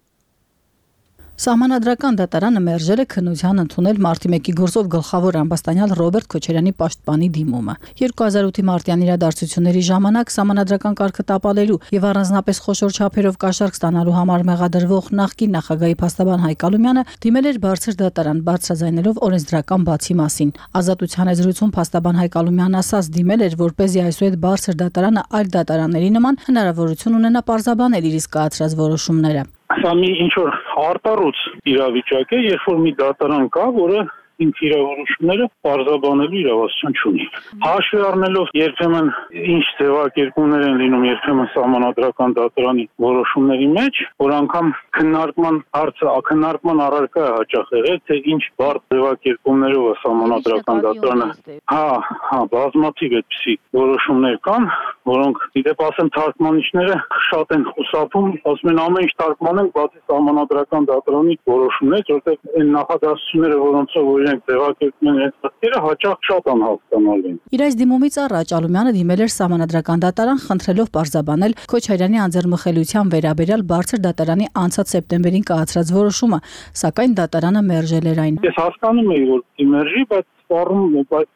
Սահմանադրական դատարանը մերժել է քննության ընդունել մարտի 1-ի գործով գլխավոր ամբաստանյալ Ռոբերտ Քոչարյանի պաշտպանի դիմումը։ 2008-ի մարտյան իրադարձությունների ժամանակ սահմանադրական կարգը տապալելու եւ առանձնապես խոշոր չափերով կաշառք ստանալու համար մեղադրվող նախկին նախագահի փաստաբան Հայկ Ալումյանը դիմել էր բարձր դատարան, բարձրաձայնելով օրենսդրական բացի մասին։ Ազատության զրույցում փաստաբան Հայկ Ալումյանն ասաց դիմել էր, որպեսզի այսուհետ բարձր դատարանը այլ դատարանների նման հնարավորություն ունենա պարզաբանել իր իսկ կայացրած որոշումները։ Սա մի ինչ-որ արտառոց իրավիճակ է, երբ որ մի դատարան կա, որը ինք իր որոշումները պարզաբանելու իրավասություն չունի։ Հաշվի առնելով երբեմն ինչ ձևակերպումներ են լինում երբեմն սահմանադրական դատարանի որոշումների մեջ, որ անգամ քննարկման հարցը քննարկման առարկա է հաճախ եղել, թե ինչ բարդ ձևակերպումներով է սահմանադրական դատարանը։ Բազմաթիվ այդպիսի որոշումներ կան, որոնք դիտեպ ասեմ թարգմանիչները շատ են խուսափում, ասում են ամեն ինչ թարգմանենք, բացի սահմանադրական դատարանի որոշումներից, որտեղ այն նախադասությունները, որոնցով իրենք ձևակերպում են այդ խնդիրը, հաճախ շատ անհասկանալի են։ Իր այս դիմումից առաջ Ալումյանը դիմել էր սահմանադրական դատարան, խնդրելով պարզաբանել Քոչարյանի անձեռնմխելիության վերաբերյալ բարձր դատարանի անցած սեպտեմբերին կայացրած որոշումը, սակայն դատարանը մերժել էր այն։ Ես հասկանում եմ, որ դիմերժի, բայց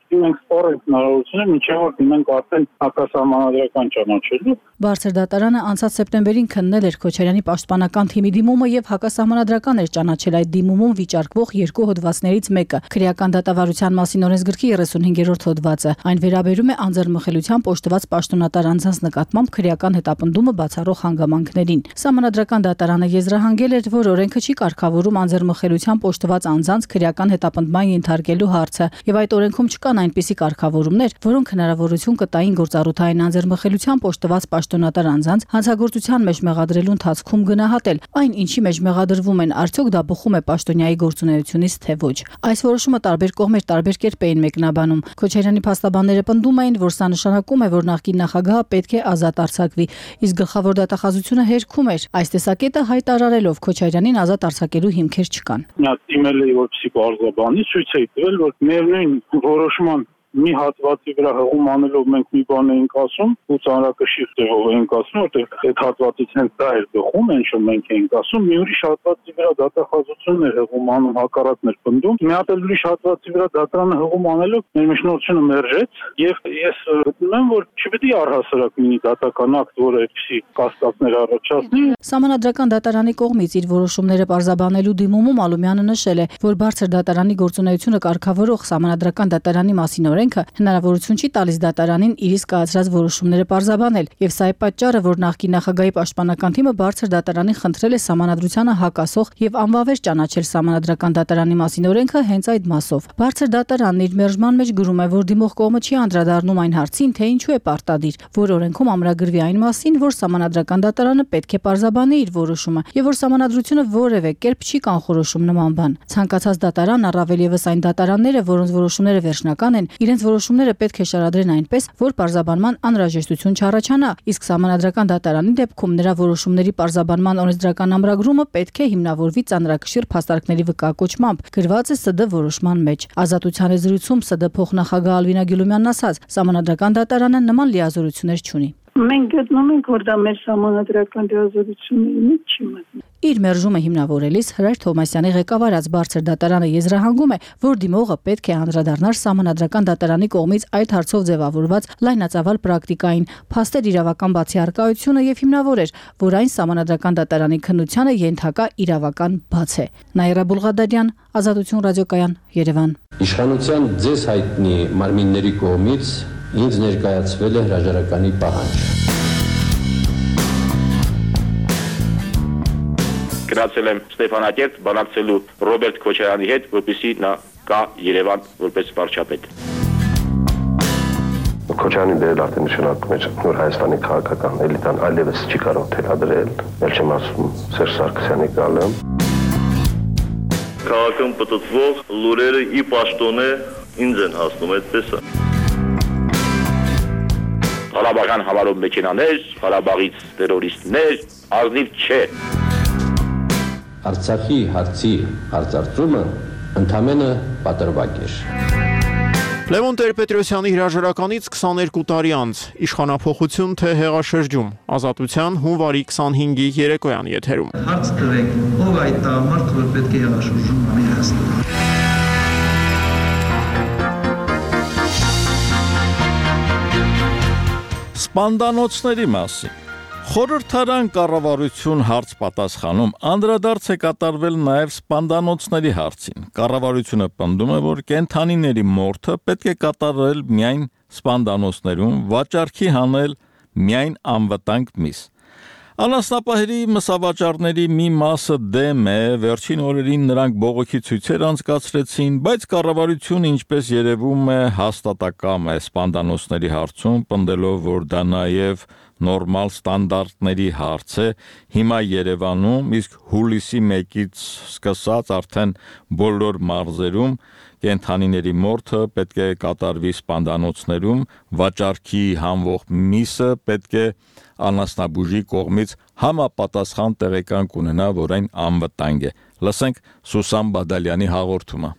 մենք սպառենք հնարավորությունը, մինչև որ դիմենք արդեն հակասահմանադրական ճանաչելու։ Բարձր դատարանը անցած սեպտեմբերին քննել էր Քոչարյանի պաշտպանական թիմի դիմումը եւ հակասահմանադրական էր ճանաչել այդ դիմումում վիճարկվող երկու հոդվածներից մեկը՝ քրեական դատավարության մասին օրենսգրքի 35-րդ հոդվածը։ Այն վերաբերում է անձեռնմխելիությամբ օժտված պաշտոնատար անձանց նկատմամբ քրեական հետապնդումը բացառող հանգամանքներին։ Սահմանադրական դատարանը եզրահանգել էր, որ օրենքը չի կարգավորում անձեռնմխելիությամբ օժտված անձանց քրեական հետապնդման ենթարկելու հարցը, եւ այդ օրենքում չկա կան այնպիսի կարգավորումներ, որոնք հնարավորություն կտային գործառութային անձեռմխելությամբ օժտված պաշտոնատար անձանց հանցագործության մեջ մեղադրելու ընթացքում գնահատել այն, ինչի մեջ մեղադրվում են, արդյոք դա բխում է պաշտոնյայի գործունեությունից, թե ոչ։ Այս որոշումը տարբեր կողմեր տարբեր կերպ էին մեկնաբանում։ Քոչարյանի փաստաբանները պնդում էին, որ սա նշանակում է, որ նախկին նախագահը պետք է ազատ արձակվի, իսկ գլխավոր դատախազությունը հերքում էր։ Այս տեսակետը հայտարարելով Քոչարյանին ազատ արձակելու հիմքեր չկան։ Նա իմել է որպեսի բարձրաբանի ցույց է տվել, որ միևնույն որոշման մի հատվածի վրա հղում անելով մենք մի բան էինք ասում ու ծանրակշիռ տեղով էինք ասում, որտեղ այդ հատվածից հենց դա էր բխում, ինչ որ մենք էինք ասում, մի ուրիշ հատվածի վրա դատախազությունն էր հղում անում, հակառակն էր պնդում, մի հատ ուրիշ հատվածի վրա դատարանը հղում անելով մեր միջնորդությունը մերժեց եւ ես գտնում եմ, որ չպետք է առհասարակ լինի դատական ակտ, որը այդպիսի կասկածներ առաջացնի։ Սահմանադրական դատարանի կողմից իր որոշումները պարզաբանելու դիմումում Ալումյանը նշել է, որ բարձր դատարանի գործունեությունը կարգավորող Սահմանադրական դատարանի մասին օրենքը հնարավորություն չի տալիս դատարանին իր իսկ կայացրած որոշումները պարզաբանել, եւ սա է պատճառը, որ նախկին նախագահի պաշտպանական թիմը բարձր դատարանին խնդրել է Սահմանադրությանը հակասող եւ անվավեր ճանաչել Սահմանադրական դատարանի մասին օրենքը հենց այդ մասով։ Բարձր դատարանն իր մերժման մեջ գրում է, որ դիմող կողմը չի անդրադառնում այն հարցին, թե ինչու է պարտադիր, որ օրենքում ամրագրվի այն մասին, որ Սահմանադրական դատարանը պետք է պարզաբանի իր որոշումը եւ որ Սահմանադրությունը որևէ կերպ չի կանխորոշում նման բան։ Ցանկացած դատարան, առավել եւս այն դատարանները, որոնց որոշումները վերջնական են, իրենց որոշումները պետք է շարադրեն այնպես, որ պարզաբանման անհրաժեշտություն չառաջանա, իսկ Սահմանադրական դատարանի դեպքում նրա որոշումների պարզաբանման օրենսդրական ամրագրումը պետք է հիմնավորվի ծանրակշիռ փաստարկների վկայակոչմամբ, գրված է ՍԴ որոշման մեջ։ Ազատության զրույցում ՍԴ փոխնախագահ Ալվինա Գյուլումյանն ասաց, Սահմանադրական դատարանը նման լիազորություններ չունի։ Մենք գտնում ենք, որ դա մեր սահմանադրական լիազորությունների մեջ չի մտնում։ Իր մերժումը հիմնավորելիս Հրայր Թովմասյանի ղեկավարած բարձր դատարանը եզրահանգում է, որ դիմողը պետք է անդրադառնար Սահմանադրական դատարանի կողմից այդ հարցով ձևավորված լայնածավալ պրակտիկային, փաստեր իրավական բացիարկայությունը եւ հիմնավորեր, որ այն Սահմանադրական դատարանի քննությանը ենթակա իրավական բաց է։ Նաիրա Բուլղադարյան, Ազատություն ռադիոկայան, Երևան։ Իշխանության ձեզ հայտնի մարմինների կողմից ինձ ներկայացվել է հրաժարականի պահանջ։ Գնացել եմ Ստեփանակերտ բանակցելու Ռոբերտ Քոչարյանի հետ, որպեսզի նա գա Երևան որպես վարչապետ։ Քոչարյանի դերը արդեն նշանակում է նոր Հայաստանի քաղաքական էլիտան այլևս չի կարող թելադրել, ել չեմ ասում Սերժ Սարգսյանի գալը։ Քաղաքում պտտվող լուրերը ի պաշտոնե ինձ են հասնում, այդպես է։ Ղարաբաղյան համարով մեքենաներ, Ղարաբաղից տերորիստներ, ազնիվ չէ։ Արցախի հարցի հարցարծումը ընդամենը պատրվակ էր։ Լևոն Տեր-Պետրոսյանի հրաժարականից 22 տարի անց իշխանափոխություն թե հեղաշրջում, Ազատության հունվարի 25-ի երեկոյան եթերում։ Հարց տվեք, ով այդ տղամարդ, որ պետք է հեղաշրջում անի Հայաստանում։ Սպանդանոցների մասին Խորհրդարան կառավարություն հարց պատասխանում անդրադարձ է կատարվել նաև սպանդանոցների հարցին։ Կառավարությունը պնդում է, որ կենդանիների մորթը պետք է կատարել միայն սպանդանոցներում, վաճառքի հանել միայն անվտանգ միս։ Անասնապահերի մսավաճառների մի մասը դեմ է, վերջին օրերին նրանք բողոքի ցույցեր անցկացրեցին, բայց կառավարությունը, ինչպես երևում է, հաստատակամ է սպանդանոցների հարցում, պնդելով, որ դա նաև նորմալ ստանդարտների հարց է, հիմա Երևանում, իսկ հուլիսի 1-ից սկսած արդեն բոլոր մարզերում կենդանիների մորթը պետք է կատարվի սպանդանոցներում, վաճառքի հանվող միսը պետք է անասնաբուժի կողմից համապատասխան տեղեկանք ունենա, որ այն անվտանգ է։ Լսենք Սուսան Բադալյանի հաղորդումը։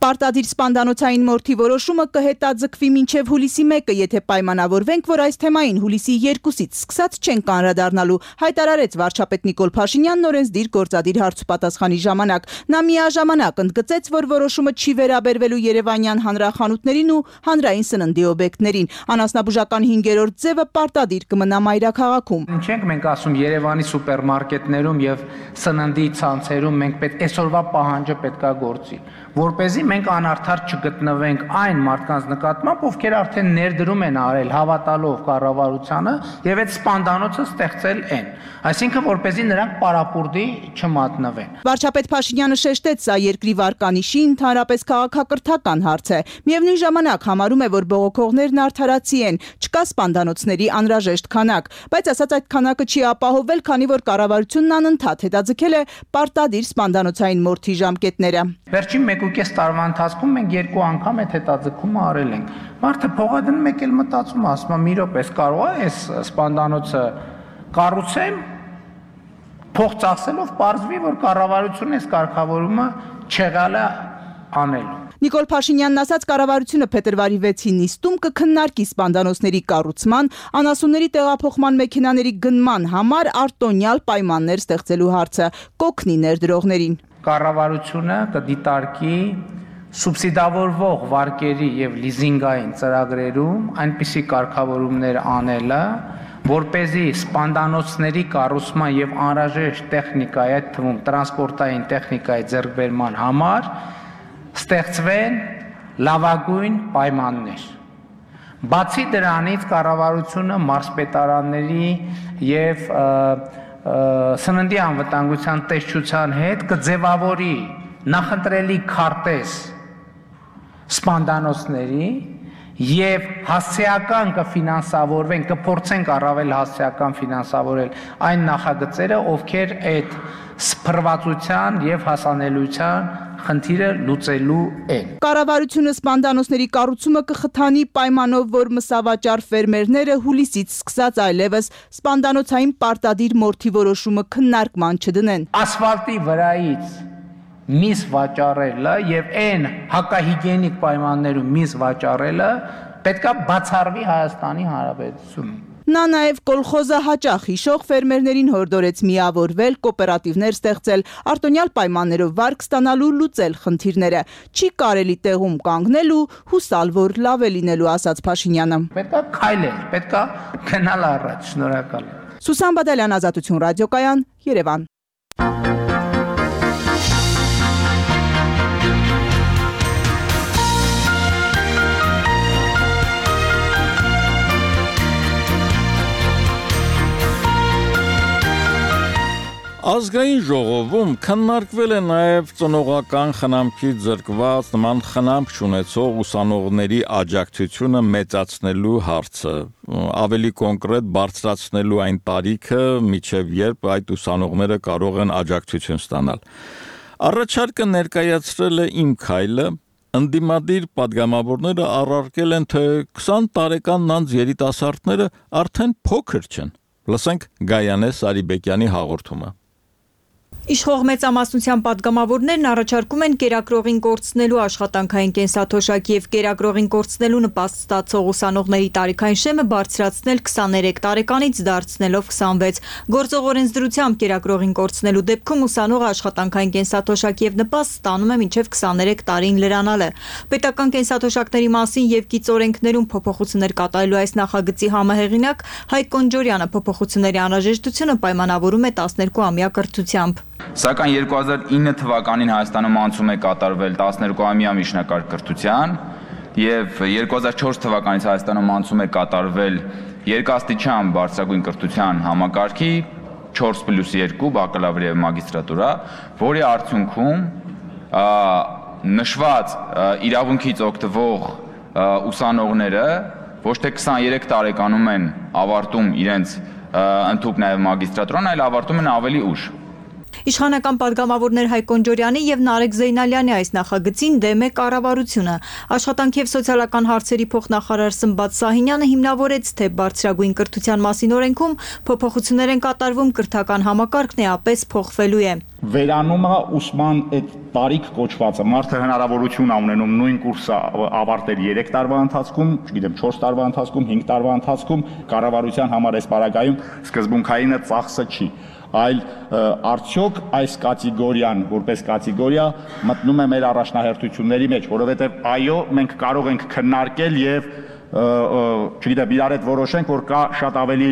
Պարտադիր սպանդանոցային մորթի որոշումը կհետաձգվի մինչև հուլիսի 1-ը, եթե պայմանավորվենք, որ այս թեմային հուլիսի 2-ից սկսած չենք անդրադառնալու, հայտարարեց վարչապետ Նիկոլ Փաշինյանն օրենսդիր գործադիր հարցուպատասխանի ժամանակ։ Նա միաժամանակ ընդգծեց, որ որոշումը չի վերաբերվելու երևանյան հանրախանութներին ու հանրային սննդի օբյեկտներին։ Անասնաբուժական 5-րդ ձևը պարտադիր կմնա մայրաքաղաքում։ Ինչենք մենք ասում Երևանի սուպերմարկետներում եւ սննդի ցանցերում մենք այսօրվա պահանջը պետքա գործի, որպեսզի մենք անարդար չգտնվենք այն մարդկանց նկատմամբ, ովքեր արդեն ներդրում են արել հավատալով կառավարությանը եւ այդ սպանդանոցը ստեղծել են, այսինքն որպեսզի նրանք պարապուրդի չմատնվեն։ Վարչապետ Փաշինյանը շեշտեց, սա երկրի վարկանիշի ընդհանրապես քաղաքակրթական հարց է։ Միևնույն ժամանակ համարում է, որ բողոքողներն արդարացի են, չկա սպանդանոցների անհրաժեշտ քանակ, բայց ասած այդ քանակը չի ապահովվել, քանի որ կառավարությունն անընդհատ հետաձգել է պարտադիր սպանդանոցային մորթի ժամկետները։ Վերջին 1.5 տարվա ընթացքում մենք 2 անգամ այդ հետաձգումը արել ենք։ Մարդը փողը դնում մեկ էլ մտածում, ասում է՝ մի րոպե, կարող է այս սպանդանոցը կառուցեմ, փող ծախսելով պարզվի, որ կառավարությունն այս կարգավորումը չեղալ է անելու։ Նիկոլ Փաշինյանն ասաց, կառավարությունը փետրվարի 6-ի նիստում կքննարկի սպանդանոցների կառուցման, անասունների տեղափոխման մեքենաների գնման համար արտոնյալ պայմաններ ստեղծելու հարցը, կօգնի ներդրողներին։ Կառավարությունը կդիտարկի սուբսիդավորվող վարկերի եւ լիզինգային ծրագրերում այնպիսի կարգավորումներ անելը, որպեսզի սպանդանոցների կառուցման եւ անհրաժեշտ տեխնիկայի, այդ թվում տրանսպորտային տեխնիկայի ձեռքբերման համար ստեղծվեն լավագույն պայմաններ։ Բացի դրանից կառավարությունը մարզպետարանների եւ սննդի անվտանգության տեսչության հետ կձևավորի նախընտրելի քարտեզ սպանդանոցների եւ հասցեական կֆինանսավորվեն, կփորձենք առավել հասցեական ֆինանսավորել այն նախագծերը, ովքեր այդ սփռվածության եւ հասանելիության խնդիրը լուծելու են։ Կառավարությունը սպանդանոցների կառուցումը կխթանի պայմանով, որ մսավաճառ ֆերմերները հուլիսից սկսած այլևս սպանդանոցային պարտադիր մորթի որոշումը քննարկման չդնեն։ Ասֆալտի վրայից միս վաճառելը եւ այն հակահիգիենիկ պայմաններում միս վաճառելը պետքա բացառվի Հայաստանի Հանրապետությունում։ Նա նաև կոլխոզը հաճախ հիշող ֆերմերներին հորդորեց միավորվել, կոոպերատիվներ ստեղծել, արտոնյալ պայմաններով վարկ ստանալու լուծել խնդիրները։ Չի կարելի տեղում կանգնել ու հուսալ, որ լավ է լինելու, ասաց Փաշինյանը։ Պետքա քայլել, պետքա գնալ առաջ, շնորհակալ եմ։ Սուսան Բադալյան, Ազատություն ռադիոկայան, Երևան։ Ազգային ժողովում քննարկվել է նաև ծնողական խնամքից զրկված նման խնամք չունեցող ուսանողների աջակցությունը մեծացնելու հարցը, ավելի կոնկրետ բարձրացնելու այն տարիքը, մինչև երբ այդ ուսանողները կարող են աջակցություն ստանալ։ Առաջարկը ներկայացրել է Իմ քայլը, ընդդիմադիր падգամավորները առարկել են, թե 20 տարեկան անց երիտասարդները արդեն փոքր չեն։ Լսենք Գայանե Սարիբեկյանի հաղորդումը։ Իշխող մեծամասնության падգամավորներն առաջարկում են կերակրողին կորցնելու աշխատանքային կենսաթոշակ եւ կերակրողին կորցնելու նպաստ ստացող ուսանողների տարիքային շեմը բարձրացնել 23 տարեկանից դարձնելով 26։ Գործող օրենսդրությամբ կերակրողին կորցնելու դեպքում ուսանողը աշխատանքային կենսաթոշակ եւ նպաստ ստանում է մինչեւ 23 տարին լրանալը։ Պետական կենսաթոշակների մասին եւ կից օրենքներում փոփոխություններ կատարելու այս նախագծի համահեղինակ Հայկ Կոնջորյանը փոփոխությունների անհրաժեշտությունը պայմանավորում է 12-ամյա կրթությամբ։ Սակայն 2009 թվականին Հայաստանում անցում է կատարվել 12-ամյա միջնակարգ կրթության եւ 2004 թվականից Հայաստանում անցում է կատարվել երկաստիճան բարձրագույն կրթության համակարգի 4+2 բակալավր եւ մագիստրատուրա, որի արդյունքում նշված իրավունքից օգտվող ուսանողները ոչ թե 23 տարեկանում են ավարտում իրենց ընդհանուր նաեւ մագիստրատուրան, այլ ավարտում են ավելի ուշ։ Իշխանական падգամավորներ Հայկ Կոնջորյանի եւ Նարեկ Զեյնալյանի այս նախագծին դեմ է կառավարությունը։ Աշխատանք եւ սոցիալական հարցերի փոխնախարար Սմբատ Սահինյանը հիմնավորեց, թե բարձրագույն կրթության մասին օրենքում փոփոխություններ են կատարվում, կրթական համակարգն էապես փոխվելու է։ Վերանում է ուսման այդ տարիք կոչվածը։ Մարդը հնարավորություն ունենում նույն կուրսը ավարտել 3 տարվա ընթացքում, չգիտեմ 4 տարվա ընթացքում, 5 տարվա ընթացքում, կառավարության համար այս պարագայում սկզբունքայինը ծախսը չի, այլ արդյոք այս կատեգորիան որպես կատեգորիա մտնում է մեր առաջնահերթությունների մեջ, որովհետև այո, մենք կարող ենք քննարկել եւ չգիտեմ իրար հետ որոշենք, որ կա շատ ավելի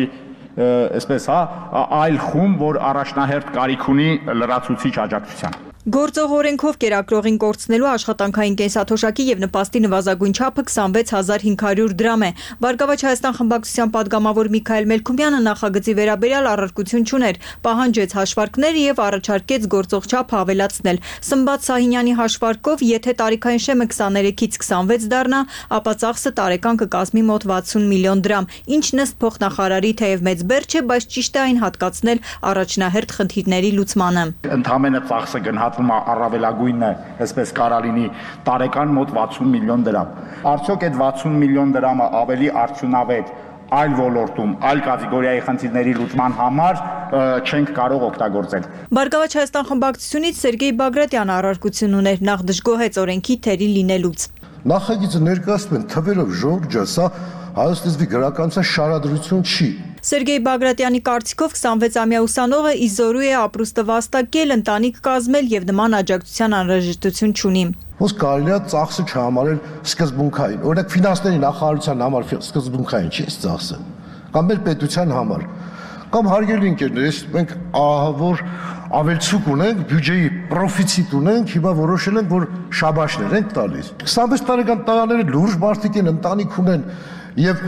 այսպես այլ խումբ, որ առաջնահերթ կարիք ունի լրացուցիչ աջակցության։ Գործող օրենքով կերակրողին կորցնելու աշխատանքային կենսաթոշակի եւ նպաստի նվազագույն չափը 26500 դրամ է։ Բարգավաճ Հայաստան խմբակցության падգամավոր Միքայել Մելքումյանը նախագծի վերաբերյալ առարկություն չուներ, պահանջեց հաշվարկներ եւ առաջարկեց գործող չափը ավելացնել։ Սմբատ Սահինյանի հաշվարկով, եթե տարիքային շեմը 23-ից 26 դառնա, ապա ծախսը տարեկան կկազմի մոտ 60 միլիոն դրամ, ինչն ըստ փոխնախարարի թեև մեծ բեռ չէ, բայց ճիշտ է այն հատկացնել առաջնահերթ խնդիրների լուծմանը։ Ընդհանրապես ծախսը գնահատվում է առավելագույնը, այսպես կարա լինի տարեկան մոտ 60 միլիոն դրամ։ Արդյոք այդ 60 միլիոն դրամը ավելի արդյունավետ այլ ոլորտում, այլ կատեգորիայի խնդիրների լուծման համար չենք կարող օգտագործել։ Բարգավաճ Հայաստան խմբակցությունից Սերգեյ Բագրատյանը առարկություն ուներ, նախ դժգոհեց օրենքի թերի լինելուց։ Նախագիծը ներկայացնում են թվերով ժողովրդի, սա հայոց լեզվի գրականության շարադրություն չի։ Սերգեյ Բագրատյանի կարծիքով 26-ամյա ուսանողը իզորու է ապրուստը վաստակել, ընտանիք կազմել եւ նման աջակցության անհրաժեշտություն չունի։ Ոնց կարելի է ծախսը չհամարել սկզբունքային։ Օրինակ ֆինանսների նախարարության համար սկզբունքային չի ծախսը, կամ մեր պետության համար։ Կամ հարգելի ընկերներ, մենք որ ավելցուկ ունենք, բյուջեի պրոֆիցիտ ունենք, հիմա որոշել ենք, որ շաբաշներ ենք տալիս։ 26 տարեկան տղաները լուրջ մարդիկ են, ընտանիք ունեն եւ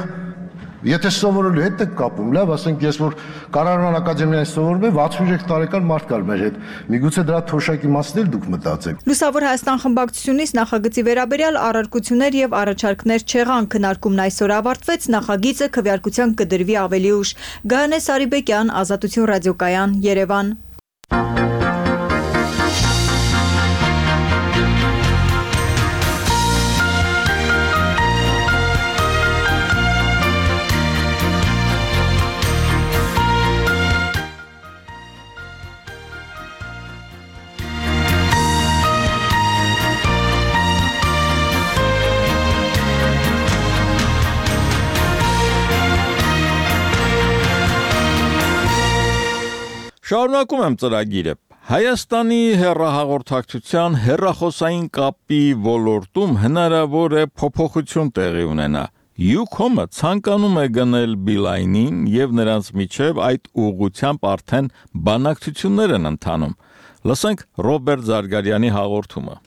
եթե սովորելու հետ եք կապում, լավ, ասենք ես որ Կառավարական ակադեմիայից սովորում եմ 63 տարեկան մարդ կար մեր հետ։ Միգուցե դրա թոշակի մասն էլ դուք մտածեք։ Լուսավոր Հայաստան խմբակցությունից նախագծի վերաբերյալ առարկություններ եւ առաջարկներ չեղան, քննարկումն այսօր ավարտվեց, նախագիծը քվեարկության կդրվի ավելի ուշ։ Գայանե Սարիբեկյան, Ազատություն ռադիոկայան, Երևան։ Շարունակում եմ ծրագիրը։ Հայաստանի հեռահաղորդակցության հեռախոսային կապի ոլորտում հնարավոր է փոփոխություն տեղի ունենա։ Ucom-ը ցանկանում է գնել Beeline-ին եւ նրանց միջև այդ ուղղությամբ արդեն բանակցություններ են ընթանում։ Լսենք Ռոբերտ Զարգարյանի հաղորդումը։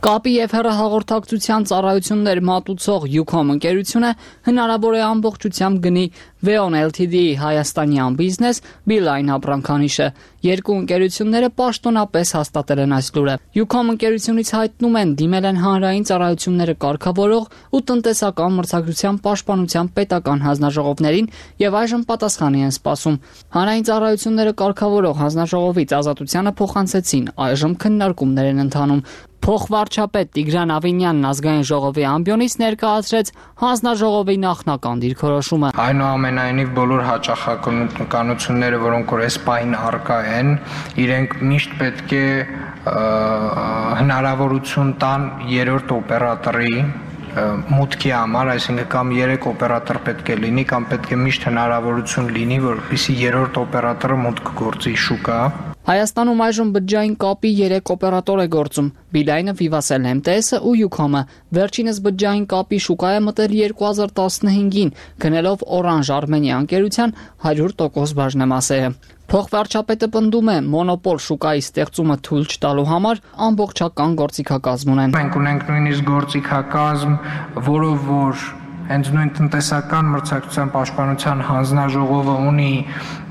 Կապի եւ հեռահաղորդակցության ծառայություններ մատուցող Ucom ընկերությունը հնարավոր է ամբողջությամբ գնի Veon Ltd-ի հայաստանյան բիզնես Beeline ապրանքանիշը։ Երկու ընկերությունները պաշտոնապես հաստատել են այս լուրը։ Ucom ընկերությունից հայտնում են դիմել են հանրային ծառայությունները կարգավորող ու տնտեսական մրցակցության պաշտպանության պետական հանձնաժողովներին եւ այժմ պատասխանի են սպասում։ Հանրային ծառայությունները կարգավորող հանձնաժողովից Ազատությանը փոխանցեցին, այժմ քննարկումներ են ընթանում։ Փոխվարչապետ Տիգրան Ավինյանն ազգային ժողովի ամբիոնից ներկայացրեց հանձնաժողովի նախնական դիրքորոշումը։ Այնուամենայնիվ բոլոր հաճախականությունները, որոնք որ այս պահին առկա են, իրենք միշտ պետք է հնարավորություն տան երրորդ օպերատորի մուտքի համար, այսինքն կամ 3 օպերատոր պետք է լինի, կամ պետք է միշտ հնարավորություն լինի, որպեսզի երրորդ օպերատորը մուտք գործի շուկա։ Հայաստանում այժմ բջջային կապի 3 օպերատոր է գործում՝ Beeline-ը, Vivacell MTS-ը ու Ucom-ը։ Վերջինս բջջային կապի շուկա է մտել 2015-ին, գնելով Orange Armenia ընկերության 100% բաժնեմասերը։ Փոխվարչապետը պնդում է, մոնոպոլ շուկայի ստեղծումը թույլ չտալու համար ամբողջական գործիքակազմ ունեն։ Մենք ունենք նույնիսկ գործիքակազմ, որով որ հենց նույն տնտեսական մրցակցության պաշտպանության հանձնաժողովը ունի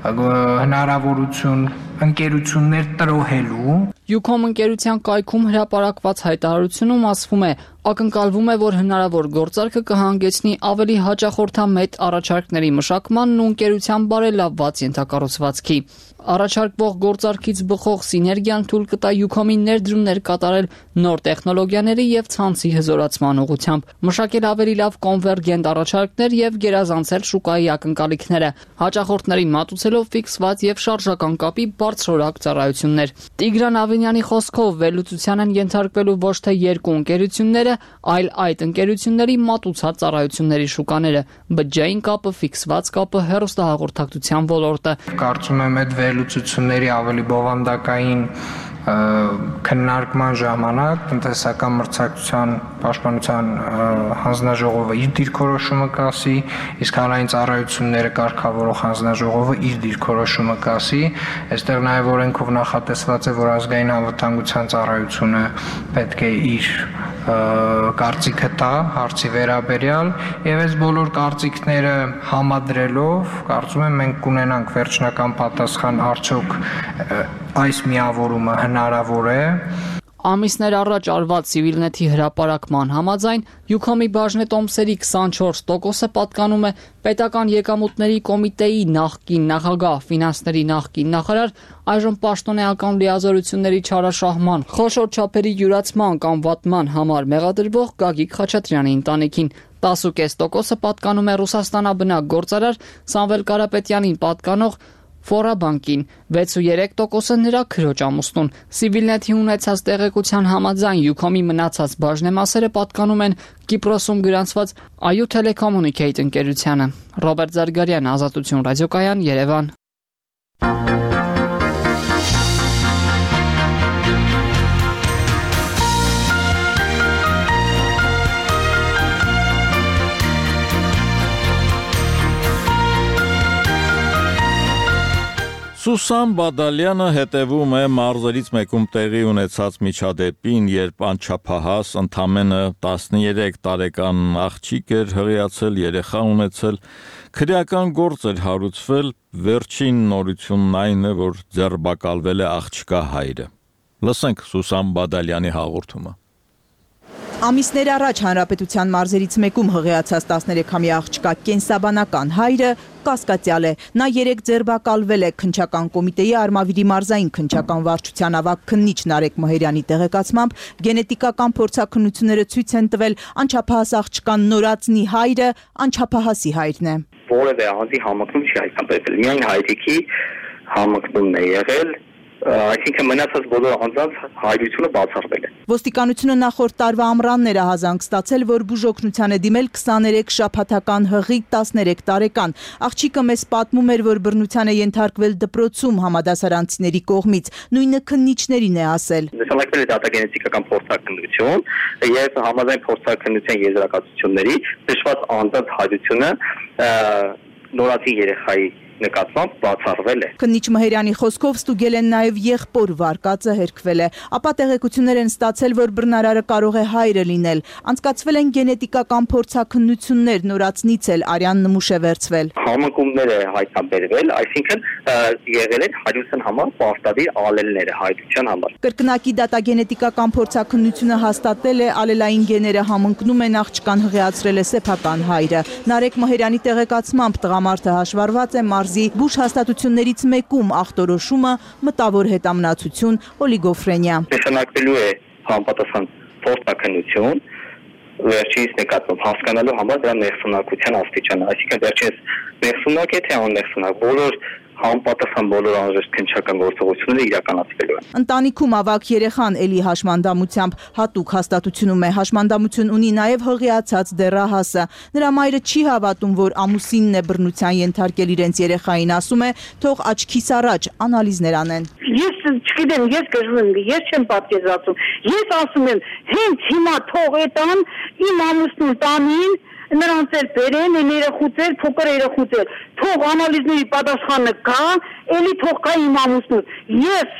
հնարավորություն ընկերություններ տրոհելու։ Ucom ընկերության կայքում հրապարակված հայտարարությունում ասվում է, ակնկալվում է, որ հնարավոր գործարքը կհանգեցնի ավելի հաճախորդամետ առաջարկների մշակմանն ու ընկերության բարելավված ենթակառուցվածքի։ Առաջարկվող գործարքից բխող սիներգիան թույլ կտա Ucom-ին ներդրումներ կատարել նոր տեխնոլոգիաների եւ ցանցի հզորացման ուղղությամբ, մշակել ավելի լավ կոնվերգենտ առաջարկներ եւ գերազանցել շուկայի ակնկալիքները, հաճախորդներին մատուցելով ֆիքսված եւ շարժական կապի բարձրորակ ծառայություններ։ Տիգրան Ավինյանի խոսքով վերլուծության են ենթարկվելու ոչ թե երկու ընկերությունները, այլ այդ ընկերությունների մատուցած ծառայությունների շուկաները, բջջային կապը, ֆիքսված կապը, հեռուստահաղորդակցության ոլորտը։ Կարծում եմ այդ վերլուծությունների ավելի բովանդակային քննարկման ժամանակ տնտեսական մրցակցության պաշտպանության հանձնաժողովը իր դիրքորոշումը կասի, իսկ հանրային ծառայությունները կարգավորող հանձնաժողովը իր դիրքորոշումը կասի։ Այստեղ նաև օրենքով նախատեսված է, որ ազգային անվտանգության ծառայությունը պետք է իր կարծիքը տա հարցի վերաբերյալ, եւ այս բոլոր կարծիքները համադրելով կարծում եմ մենք կունենանք վերջնական պատասխան, արդյոք այս միավորումը հնարավոր է։ Ամիսներ առաջ արված Civilnet-ի հրապարակման համաձայն Յուքոմի բաժնետոմսերի 24%-ը պատկանում է պետական եկամուտների կոմիտեի նախկին նախագահ, ֆինանսների նախկին նախարար, այժմ պաշտոնեական լիազորությունների չարաշահման, խոշոր չափերի յուրացման կամ վատման համար մեղադրվող Գագիկ Խաչատրյանի ընտանիքին։ 10.5%-ը պատկանում է Ռուսաստանաբնակ գործարար Սամվել Կարապետյանին պատկանող Ֆորաբանկին, 6.3%-ը նրա քրոջ ամուսնուն։ Civilnet-ի ունեցած տեղեկության համաձայն Յուքոմի մնացած բաժնեմասերը պատկանում են Կիպրոսում գրանցված Ayu Telecommunicate ընկերությանը։ Ռոբերտ Զարգարյան, Ազատություն ռադիոկայան, Երևան։ Սուսան Բադալյանը հետևում է մարզերից մեկում տեղի ունեցած միջադեպին, երբ անչափահաս ընդամենը 13 տարեկան աղջիկ էր հղիացել, երեխա ունեցել, քրեական գործ էր հարուցվել, վերջին նորությունն այն է, որ ձերբակալվել է աղջկա հայրը։ Լսենք Սուսան Բադալյանի հաղորդումը։ Ամիսներ առաջ հանրապետության մարզերից մեկում հղիացած 13-ամյա աղջկա կենսաբանական հայրը կասկածյալ է։ Նա 3 ձերբակալվել է քննչական կոմիտեի Արմավիրի մարզային քննչական վարչության ավագ քննիչ Նարեկ Մհերյանի տեղեկացմամբ գենետիկական փորձաքննությունները ցույց են տվել անչափահաս աղջկան նորածնի հայրը անչափահասի հայրն է։ Որևէ անձի համընկնում չի հայտնաբերվել, միայն հայրիկի համընկնումն է եղել, այսինքն մնացած բոլոր անձանց հայրությունը բացառվել է։ Ոստիկանությունը նախորդ տարվա ամռանն էր ահազանգ ստացել, որ բուժօգնության է դիմել 23 շաբաթական հղի 13 տարեկան։ Աղջիկը մեզ պատմում էր, որ բռնության է ենթարկվել դպրոցում համադասարանցիների կողմից, նույնը քննիչներին է ասել։ Նշանակվել է դատագենետիկական փորձաքննություն եւ համաձայն փորձաքննության եզրակացությունների նշված անձանց հայրությունը նորածին երեխայի նկատմամբ բացառվել է։ Քննիչ Մհերյանի խոսքով ստուգել են նաև եղբոր վարկածը հերքվել է, ապա տեղեկություններ են ստացել, որ բռնարարը կարող է հայրը լինել։ Անցկացվել են գենետիկական փորձաքննություններ, նորածնից էլ արյան նմուշ է վերցվել։ Համընկումներ է հայտնաբերվել, այսինքն եղել են հայրության համար պարտադիր ալելները հայրության համար։ Կրկնակի դատագենետիկական փորձաքննությունը հաստատել է ալելային գեները համընկնում են աղջկան հղիացրել է սեփական հայրը։ Նարեկ Մհերյանի տեղեկացմամբ տղամարդը հաշվառված է մարզի բուժ հաստատություններից մեկում, ախտորոշումը մտավոր հետամնացություն, օլիգոֆրենիա։ Նշանակվելու է համապատասխան փորձաքննություն, վերջինս նկատմամբ հասկանալու համար դրա ներսունակության աստիճանը, այսինքն վերջինս ներսունակ է թե աններսունակ, բոլոր համապատասխան բոլոր անհրաժեշտ քննչական գործողությունները իրականացվելու են։ Ընտանիքում ավագ երեխան էլի հաշմանդամությամբ հատուկ հաստատությունում է, հաշմանդամություն ունի նաև հղիացած դեռահասը։ Նրա մայրը չի հավատում, որ ամուսինն է բռնության ենթարկել իրենց երեխային, ասում է, թող աչքիս առաջ անալիզներ անեն։ Ես չգիտեմ, ես գժվում եմ, ես չեմ պատկերացնում։ Ես ասում եմ, հենց հիմա թող էտան իմ ամուսնուն տանին նրանց էլ բերեն, երեխուցել, փոքր երեխուցել, թող անալիզների պատասխանը կա, էլի թող կա իմ ամուսնուն։ Ես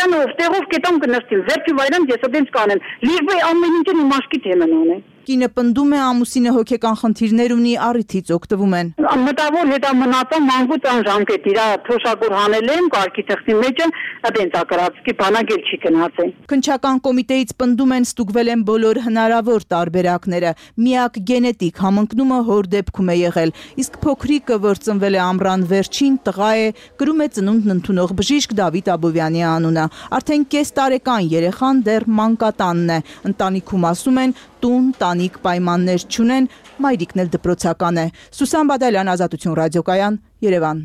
տանով տեղով կետամ կնստիմ, վերջի վայրան ես այդպես կանեմ, լիղբե ամեն ինչը իմ աշկի թեման անեն։ Կինը պնդում է ամուսինը հոգեկան խնդիրներ ունի, առիթից օգտվում են։ Մտավոր հետամնացան մանկուց անժամկետ իրա թոշակոր հանել եմ, կարգի թղթի մեջ եմ, այդենց ակրածքի բանակել չի գնացել։ Քննչական կոմիտեից պնդում են ստուգվել են բոլոր հնարավոր տարբերակները։ Միակ գենետիկ համընկնումը հոր դեպքում է եղել, իսկ փոքրիկը, որ ծնվել է ամռան վերջին, տղա է, կրում է ծնունդն ընդունող բժիշկ Դավիթ Աբովյանի անունը։ Արդեն կես տարեկան երեխան դեռ մանկատանն է։ Ընտանիքում ասում են, տուն, տանիք պայմաններ չունեն, մայրիկն էլ դպրոցական է։ Սուսան Բադալյան, Ազատություն ռադիոկայան, Երևան։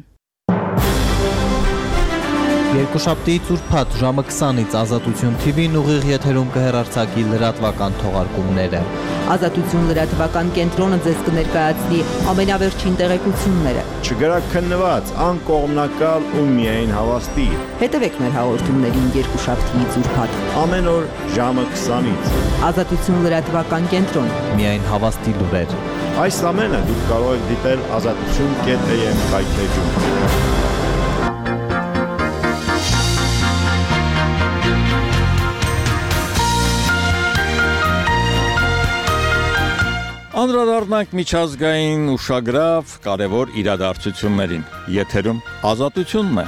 Երկուշաբթիից ուրբաթ ժամը 20-ից Ազատություն TV-ն ուղիղ եթերում կհեռարձակի լրատվական թողարկումները։ Ազատություն լրատվական կենտրոնը ձեզ կներկայացնի ամենավերջին տեղեկությունները։ Չգրաքննված, անկողմնակալ ու միայն հավաստի։ Հետևեք մեր հաղորդումներին երկուշաբթիից ուրբաթ։ Ամեն օր ժամը 20-ից։ Ազատություն լրատվական կենտրոն։ Միայն հավաստի լուրեր։ Այս ամենը դուք կարող եք դիտել azatutun.am կայքեջում։ Անդրադառնանք միջազգային ուշագրավ կարևոր իրադարձություններին։ Եթերում Ազատությունն է։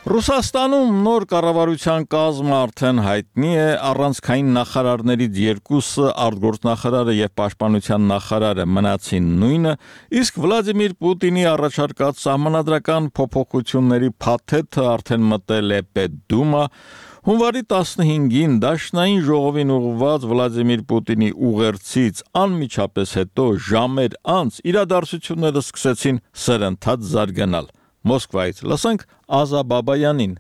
Ռուսաստանում նոր կառավարության կազմը արդեն հայտնի է, առանցքային նախարարներից երկուսը, արտգործնախարարը եւ պաշտպանության նախարարը մնացին նույնը, իսկ Վլադիմիր Պուտինի առաջարկած սահմանադրական փոփոխությունների փաթեթը արդեն մտել է Պետդումա։ Հունվարի 15-ին Դաշնային ժողովին ուղղված Վլադիմիր Պուտինի ուղերձից անմիջապես հետո ժամեր անց իրադարձությունները սկսեցին սրընթաց զարգանալ։ Մոսկվայից լսենք Ազա Բաբայանին։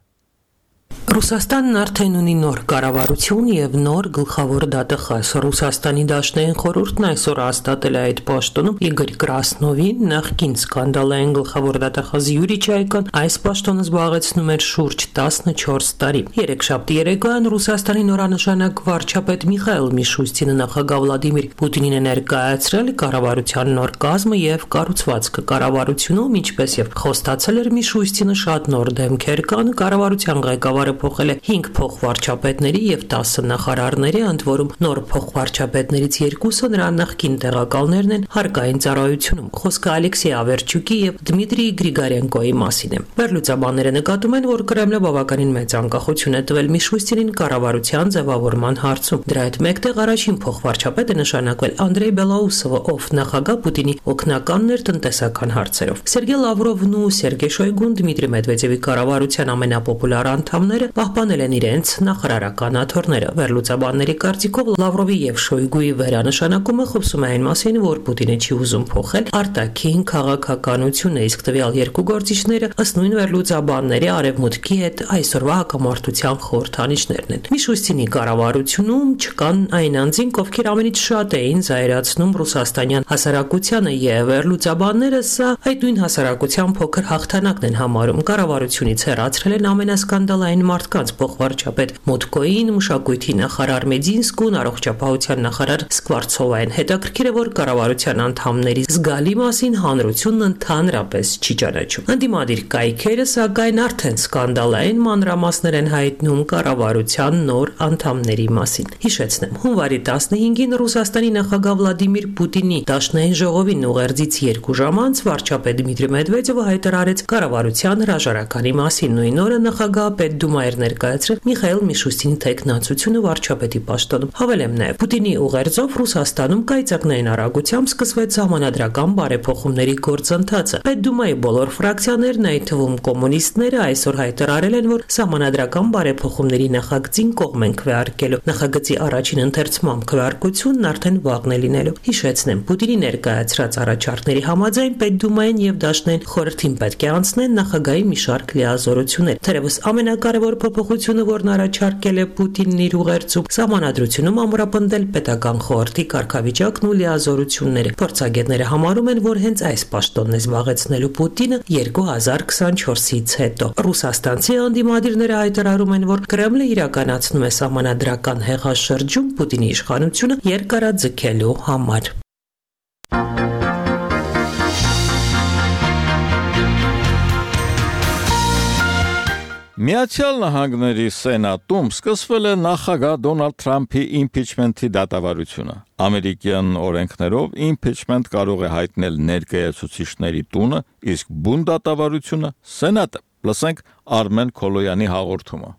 Ռուսաստանն արդեն ունի նոր կառավարություն եւ նոր գլխավոր դատախազ։ Ռուսաստանի Դաշնային խորհուրդն այսօր հաստատել է այդ պաշտոնում Իգոր Կրասնովին, նախկին սկանդալային գլխավոր դատախազ Յուրի Չայկան այս պաշտոնը զբաղեցնում էր շուրջ 14 տարի։ Երեքշաբթի երեկոյան Ռուսաստանի նորանշանակ վարչապետ Միխայել Միշուստինը նախագահ Վլադիմիր Պուտինին է ներկայացրել կառավարության նոր կազմը եւ կառուցվածքը։ Կառավարությունում, ինչպես եւ խոստացել էր Միշուստինը, շատ նոր դեմքեր կան։ Կառավարության ղեկավարը փոխել է 5 փոխվարչապետների եւ 10 նախարարների, ընդ որում նոր փոխվարչապետներից երկուսը նրա նախկին տեղակալներն են հարկային ծառայությունում։ Խոսքը Ալեքսեյ Ավերչուկի եւ Դմիտրի Գրիգորենկոյի մասին է։ Վերլուծաբանները նկատում են, որ Կրեմլը բավականին մեծ անկախություն է տվել Միշուստինին կառավարության ձևավորման հարցում։ Դրա հետ մեկտեղ առաջին փոխվարչապետը նշանակվել Անդրեյ Բելաուսովը, ով նախագահ Պուտինի օգնականն էր տնտեսական հարցերով։ Սերգեյ Լավրովն ու Սերգեյ Շոյգուն Դմիտրի Մեդվեդևի կառավարության ամենապոպուլար անդամները պահպանել են իրենց նախարարական աթոռները։ Վերլուծաբանների կարծիքով Լավրովի եւ Շոյգուի վերանշանակումը խոսում է այն մասին, որ Պուտինը չի ուզում փոխել արտաքին քաղաքականությունը, իսկ տվյալ երկու գործիչները ըստ նույն վերլուծաբանների արևմուտքի հետ այսօրվա հակամարտության խորհրդանիշներն են։ Միշուստինի կառավարությունում չկան այն անձինք, ովքեր ամենից շատ էին զայրացնում ռուսաստանյան հասարակությանը, եւ վերլուծաբանները սա այդ նույն հասարակության փոքր հաղթանակն են համարում։ Կառավարությունից հեռացրել են ամենասկանդալային մարդկանց փոխվարչապետ Մոտկոին, մշակույթի նախարար Մեդինսկուն, առողջապահության նախարար Սկվարցովային։ Հետաքրքիր է, որ կառավարության անդամների զգալի մասին հանրությունն ընդհանրապես չի ճանաչում։ Ընդդիմադիր կայքերը սակայն արդեն սկանդալային մանրամասներ են հայտնում կառավարության նոր անդամների մասին։ Հիշեցնեմ, հունվարի 15-ին Ռուսաստանի նախագահ Վլադիմիր Պուտինի Դաշնային ժողովին ուղերձից 2 ժամ անց վարչապետ Դմիտրի Մեդվեդևը հայտարարեց կառավարության հրաժարականի մասին։ Նույն օրը նախագահ Պետդումա էր ներկայացրել Միխայել Միշուստինի տեխնացությունը վարչապետի պաշտոնում։ Հավելեմ նաև, Պուտինի ուղերձով Ռուսաստանում կայծակնային արագությամբ սկսվեց սահմանադրական բարեփոխումների գործընթացը։ Պետդումայի բոլոր ֆրակցիաներն, այդ թվում կոմունիստները, այսօր հայտարարել են, որ սահմանադրական բարեփոխումների նախագծին կողմ են քվեարկելու։ Նախագծի առաջին ընթերցման քվեարկությունն արդեն վաղն է լինելու։ Հիշեցնեմ, Պուտինի ներկայացրած առաջարկների համաձայն Պետդումային եւ Դաշնային խորհրդին պետք է անցնեն նախագահի մի շարք լիազորություններ։ Թերևս ամենակարևոր փոփոխությունը, որն առաջարկել է Պուտինն իր ուղերձում, սահմանադրությունում ամրապնդել պետական խորհրդի կարգավիճակն ու լիազորությունները։ Փորձագետները համարում են, որ հենց այս պաշտոնն է զբաղեցնելու Պուտինը 2024-ից հետո։ Ռուսաստանցի անդիմադիրները հայտարարում են, որ Կրեմլը իրականացնում է սահմանադրական հեղաշրջում Պուտինի իշխանությունը երկարաձգելու համար։ Միացյալ Նահանգների Սենատում սկսվել է նախագահ Դոնալդ Թրամփի իմպիչմենթի դատավարությունը։ Ամերիկյան օրենքներով իմպիչմենթ կարող է հայտնել ներկայացուցիչների տունը, իսկ բուն դատավարությունը Սենատը։ Լսենք Արմեն Քոլոյանի հաղորդումը։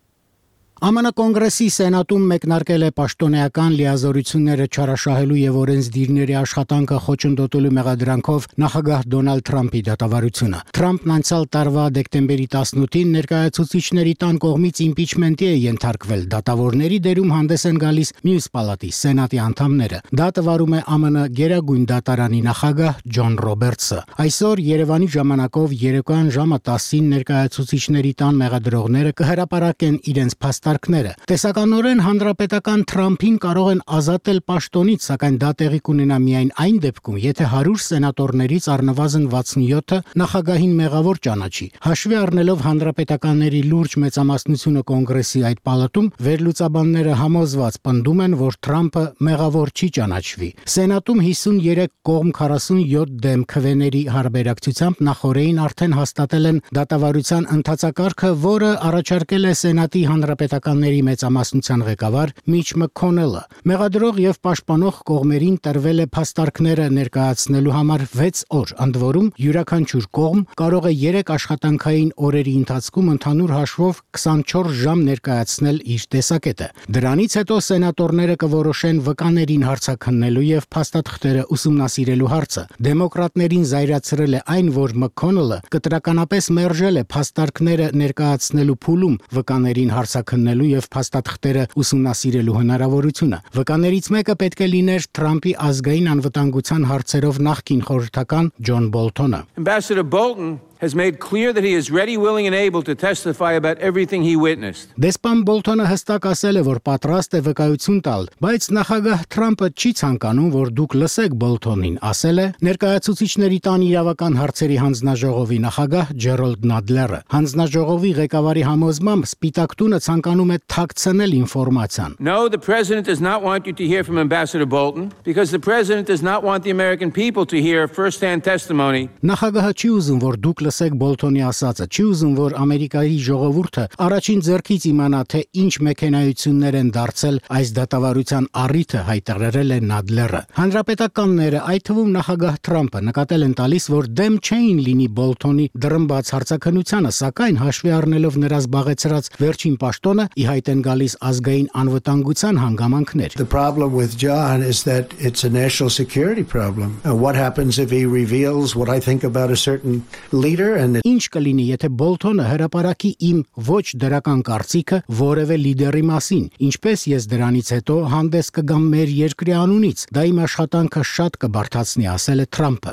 ԱՄՆ կոնգրեսի սենատում մեկնարկել է պաշտոնեական լիազորությունները չարաշահելու եւ օրենսդիրների աշխատանքը խոչընդոտելու մեղադրանքով նախագահ Դոնալդ Թրամփի դատավարությունը։ Թրամփն անցյալ տարվա դեկտեմբերի 18-ին ներկայացուցիչների տան կողմից իմպիչմենտի է ենթարկվել։ Դատավորների դերում հանդես են գալիս մյուս պալատի սենատի անդամները։ Դա տվարում է ԱՄՆ Գերագույն դատարանի նախագահ Ջոն Ռոբերտսը։ Այսօր Երևանի ժամանակով երեկոյան ժամը 10-ին ներկայացուցիչների տան մեղադրողները կհրապարակեն իրենց փաստարկները։ Տեսականորեն հանրապետական Թրամփին կարող են ազատել պաշտոնից, սակայն դա տեղի կունենա միայն այն դեպքում, եթե 100 սենատորներից առնվազն 67-ը նախագահին մեղավոր ճանաչի։ Հաշվի առնելով հանրապետականների լուրջ մեծամասնությունը կոնգրեսի այդ պալատում, վերլուծաբանները համոզված պնդում են, որ Թրամփը մեղավոր չի ճանաչվի։ Սենատում 53 կողմ 47 դեմ քվեների հարաբերակցությամբ նախորդին արդեն հաստատել են դատավարության ընթացակարգը, որը առաջարկել է Սենատի հանրապետականների մեծամասնության ղեկավար Միչ Մաքքոնելը։ Մեղադրող եւ պաշտպանող կողմերին տրվել է փաստարկները ներկայացնելու համար 6 օր, ընդ որում յուրաքանչյուր կողմ կարող է 3 աշխատանքային օրերի ընթացքում ընդհանուր հաշվով 24 ժամ ներկայացնել իր տեսակետը։ Դրանից հետո սենատորները կորոշեն վկաներին հարցաքննելու եւ փաստաթղթերը ուսումնասիրելու հարցը։ Դեմոկրատներին զայրացրել է այն, որ Մաքքոնելը կտրականապես մերժել է փաստարկները ներկայացնելու փուլում վկաներին հարցաքննելու եւ փաստաթղթերը ուսումնասիրելու հնարավորությունը։ Վկաներից մեկը պետք է լիներ Թրամփի ազգային անվտանգության հարցերով նախկին խորհրդական Ջոն Բոլթոնը։ Ambassador Bolton has made clear that he is ready, willing and able to testify about everything he witnessed. Դեսպան Բոլթոնը հստակ ասել է, որ պատրաստ է վկայություն տալ, բայց նախագահ Թրամփը չի ցանկանում, որ դուք լսեք Բոլթոնին, ասել է ներկայացուցիչների տան իրավական հարցերի հանձնաժողովի նախագահ Ջերոլդ Նադլերը։ Հանձնաժողովի ղեկավարի համոզմամբ Սպիտակ տունը ցանկանում է թաքցնել ինֆորմացիան։ No, the president does not want you to hear from Ambassador Bolton because the president does not want the American people to hear first-hand testimony. Նախագահը չի ուզում, որ դուք լսեք Բոլթոնի ասածը, չի ուզում, որ Ամերիկայի ժողովուրդը առաջին ձեռքից իմանա, թե ինչ մեքենայություններ են դարձել այս դատավարության առիթը, հայտարարել է Նադլերը։ Հանրապետականները, այդ թվում նախագահ Թրամփը, նկատել են տալիս, որ դեմ չէին լինի Բոլթոնի դրմբաց հարցաքննությանը, սակայն հաշվի առնելով նրա զբաղեցրած վերջին պաշտոնը, ի հայտ են գալիս ազգային անվտանգության հանգամանքներ։ The problem with John is that it's a national security problem. What happens if he reveals what I think about a certain leader? Ինչ կլինի, եթե Բոլթոնը հրապարակի իմ ոչ դրական կարծիքը որևէ լիդերի մասին, ինչպես ես դրանից հետո հանդես կգամ մեր երկրի անունից, դա իմ աշխատանքը շատ կբարդացնի, ասել է Թրամփը։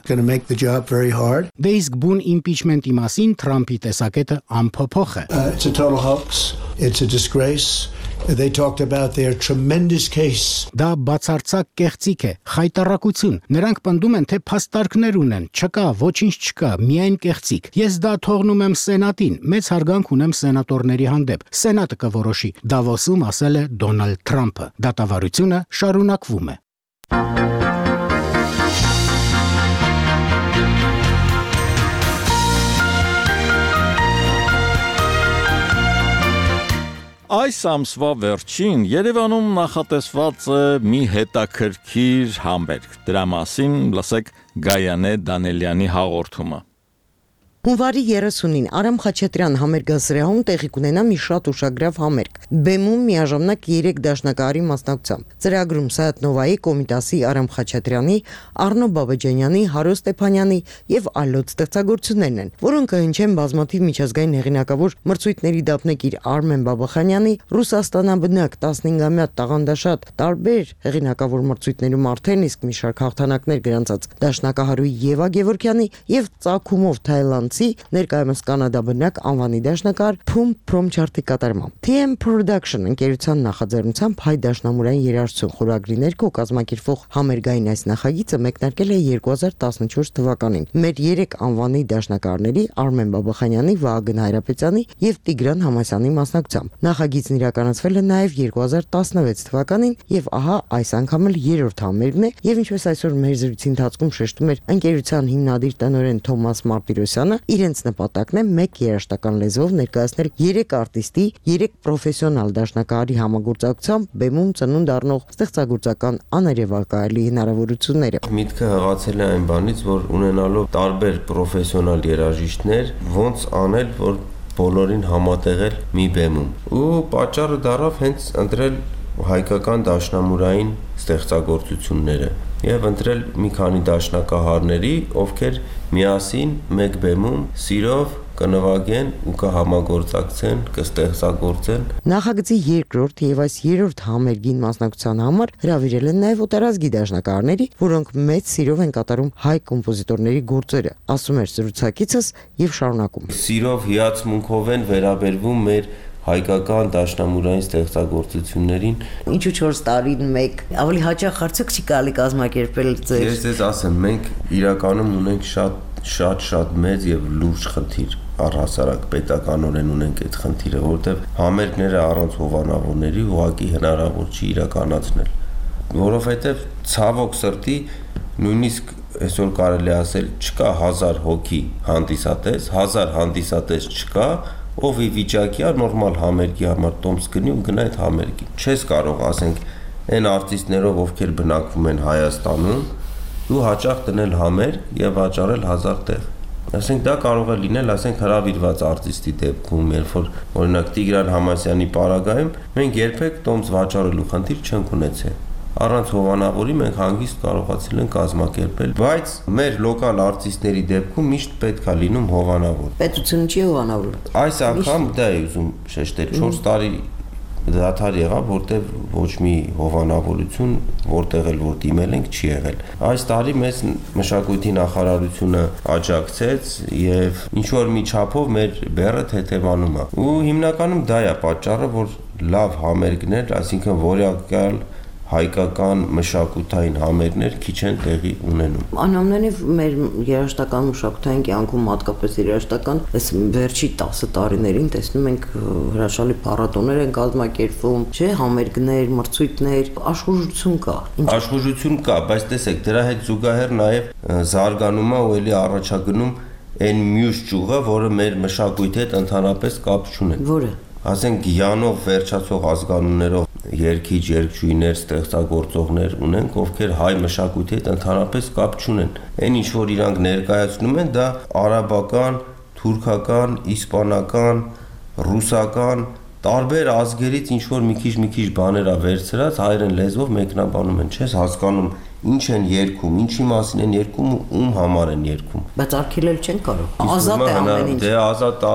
Դե իսկ բուն իմպիչմենտի մասին Թրամփի տեսակետը անփոփոխ է։ It's a total hoax. It's a disgrace. They talked about their tremendous case. Դա բացարձակ կեղծիք է, խայտառակություն։ Նրանք պնդում են, թե փաստարկներ ունեն, չկա, ոչինչ չկա, միայն կեղծիք։ Ես դա թողնում եմ Սենատին, մեծ հարգանք ունեմ սենատորների հանդեպ։ Սենատը կորոշի, Դավոսում ասել է Դոնալդ Թրամփը։ Դատավարությունը շարունակվում է։ Այս ամսվա վերջին Երևանում նախատեսված է մի հետաքրքիր համերգ։ Դրա մասին լսեք Գայանե Դանելյանի հաղորդումը։ Հունվարի 30-ին Արամ Խաչատրյան համերգասրահում տեղի կունենա մի շատ ուշագրավ համերգ։ Բեմում միաժամանակ 3 դաշնակահարի մասնակցությամբ։ Ծրագրում Սայաթ Նովայի, Կոմիտասի Արամ Խաչատրյանի, Արնո Բաբաջանյանի, Հարո Ստեփանյանի եւ այլոց ստեղծագործություններն են, որոնք կհնչեն բազմաթիվ միջազգային հեղինակավոր մրցույթների դափնեկիր Արմեն Բաբախանյանի, Ռուսաստանաբնակ 15-ամյա տաղանդաշատ տարբեր հեղինակավոր մրցույթներում արդեն իսկ մի շարք հաղթանակներ գրանցած դաշնակահարուի Եվա Գևորգյանի եւ Ծագումով Թայլանդցի ներկայումս կանադաբնակ անվանի դաշնակահար Փում Փրոմչարտի կատարմամբ TM Production ընկերության նախաձեռնությամբ հայ դաշնամուրային երաժշտություն խորագրի ներքո կազմակերպվող համերգային այս նախագիծը մեկնարկել է 2014 թվականին մեր 3 անվանի դաշնակահարների Արմեն Բաբախանյանի, Վահագն Հայրապետյանի եւ Տիգրան Համասյանի մասնակցությամբ։ Նախագիծն իրականացվել է նաեւ 2016 թվականին եւ ահա այս անգամ էլ 3-րդ համերգն է եւ ինչպես այսօր մեր զրույցի ընթացքում շեշտում էր ընկերության հիմնադիր տնօրեն Թոմաս Մարտիրոսյանը, իրենց նպատակն է մեկ երաժշտական լեզվով ներկայացնել 3 արտիստի, 3 պրոֆեսիոնալ դաշնակահարի համագործակցությամբ բեմում ծնունդ առնող ստեղծագործական աներևակայելի հնարավորությունները։ Միտքը հղացել է այն բանից, որ ունենալով տարբեր պրոֆեսիոնալ երաժիշտներ, ոնց անել, որ բոլորին համատեղել մի բեմում։ Ու պատճառը դառավ հենց ընտրել հայկական դաշնամուրային ստեղծագործությունները եւ ընտրել մի քանի դաշնակահարների, ովքեր միասին մեկ բեմում սիրով կնվագեն ու կհամագործակցեն, կստեղծագործեն։ Նախագծի երկրորդ եւ այս երրորդ համերգին մասնակցության համար հրավիրել են նաեւ օտարազգի դաշնակահարների, որոնք մեծ սիրով են կատարում հայ կոմպոզիտորների գործերը, ասում էր զրուցակիցս եւ շարունակում։ Սիրով հիացմունքով են վերաբերվում մեր հայկական դաշնամուրային ստեղծագործություններին։ Ինչու 4 տարին մեկ ավելի հաճախ արդյոք չի կարելի կազմակերպել ձեր։ Ես ձեզ ասեմ, մենք իրականում ունենք շատ մեծ եւ լուրջ խնդիր, առհասարակ պետականորեն ունենք այդ խնդիրը, որովհետեւ համերգները առանց հովանավորների ուղղակի հնարավոր չի իրականացնել, որովհետեւ ցավոք սրտի նույնիսկ այսօր կարելի ասել չկա 1000 հոգի հանդիսատես, 1000 հանդիսատես չկա, ով ի վիճակի է նորմալ համերգի համար տոմս գնի ու գնա այդ համերգին։ Չես կարող, ասենք, այն արտիստներով, ովքեր բնակվում են Հայաստանում, ու հաճախ դնել համերգ եւ վաճառել 1000 տեղ։ Ասենք դա կարող է լինել, ասենք, հրավիրված արտիստի դեպքում, երբ որ օրինակ Տիգրան Համասյանի պարագայում մենք երբեք տոմս վաճառելու խնդիր չենք ունեցել։ Առանց հովանավորի մենք հանգիստ կարողացել ենք կազմակերպել, բայց մեր լոկալ արտիստների դեպքում միշտ պետք է լինում հովանավոր։ Պետությունը չի հովանավոր։ Այս անգամ դա է ուզում շեշտել, 4 տարի դադար եղավ, որտեղ ոչ մի հովանավորություն, որտեղ էլ որ դիմել ենք, չի եղել։ Այս տարի մեզ մշակույթի նախարարությունը աջակցեց եւ ինչ որ մի չափով մեր բեռը թեթևանում է։ Ու հիմնականում դա է պատճառը, որ լավ համերգներ, այսինքն որակյալ հայկական մշակութային համերգներ քիչ են տեղի ունենում։ Անամենիվ մեր երաժշտական մշակութային կյանքում հատկապես երաժշտական այս վերջի 10 տարիներին տեսնում ենք հրաշալի փառատոներ են կազմակերպվում, չէ, համերգներ, մրցույթներ, աշխուժություն կա։ Աշխուժություն կա, բայց տեսեք, դրա հետ զուգահեռ նաև զարգանում է ու էլի առաջագնում այն մյուս ճյուղը, որը մեր մշակույթի հետ ընդհանրապես կապ չունի։ Որը ասենք գյանով վերջացող ազգանուններով երգիչ, երգչուհիներ, ստեղծագործողներ ունենք, ովքեր հայ մշակույթի հետ ընդհանրապես կապ չունեն։ Այն ինչ որ իրանք ներկայացնում են, դա արաբական, թուրքական, իսպանական, ռուսական, տարբեր ազգերից ինչ որ մի քիչ բաներ ա վերցրած հայերեն լեզվով մեկնաբանում են, չես հասկանում ինչ են երգում, ինչի մասին են երգում ու ում համար են երգում։ Բայց արգելել չեն կարող։ Ազատ է ամեն ինչ։ Դե ազատ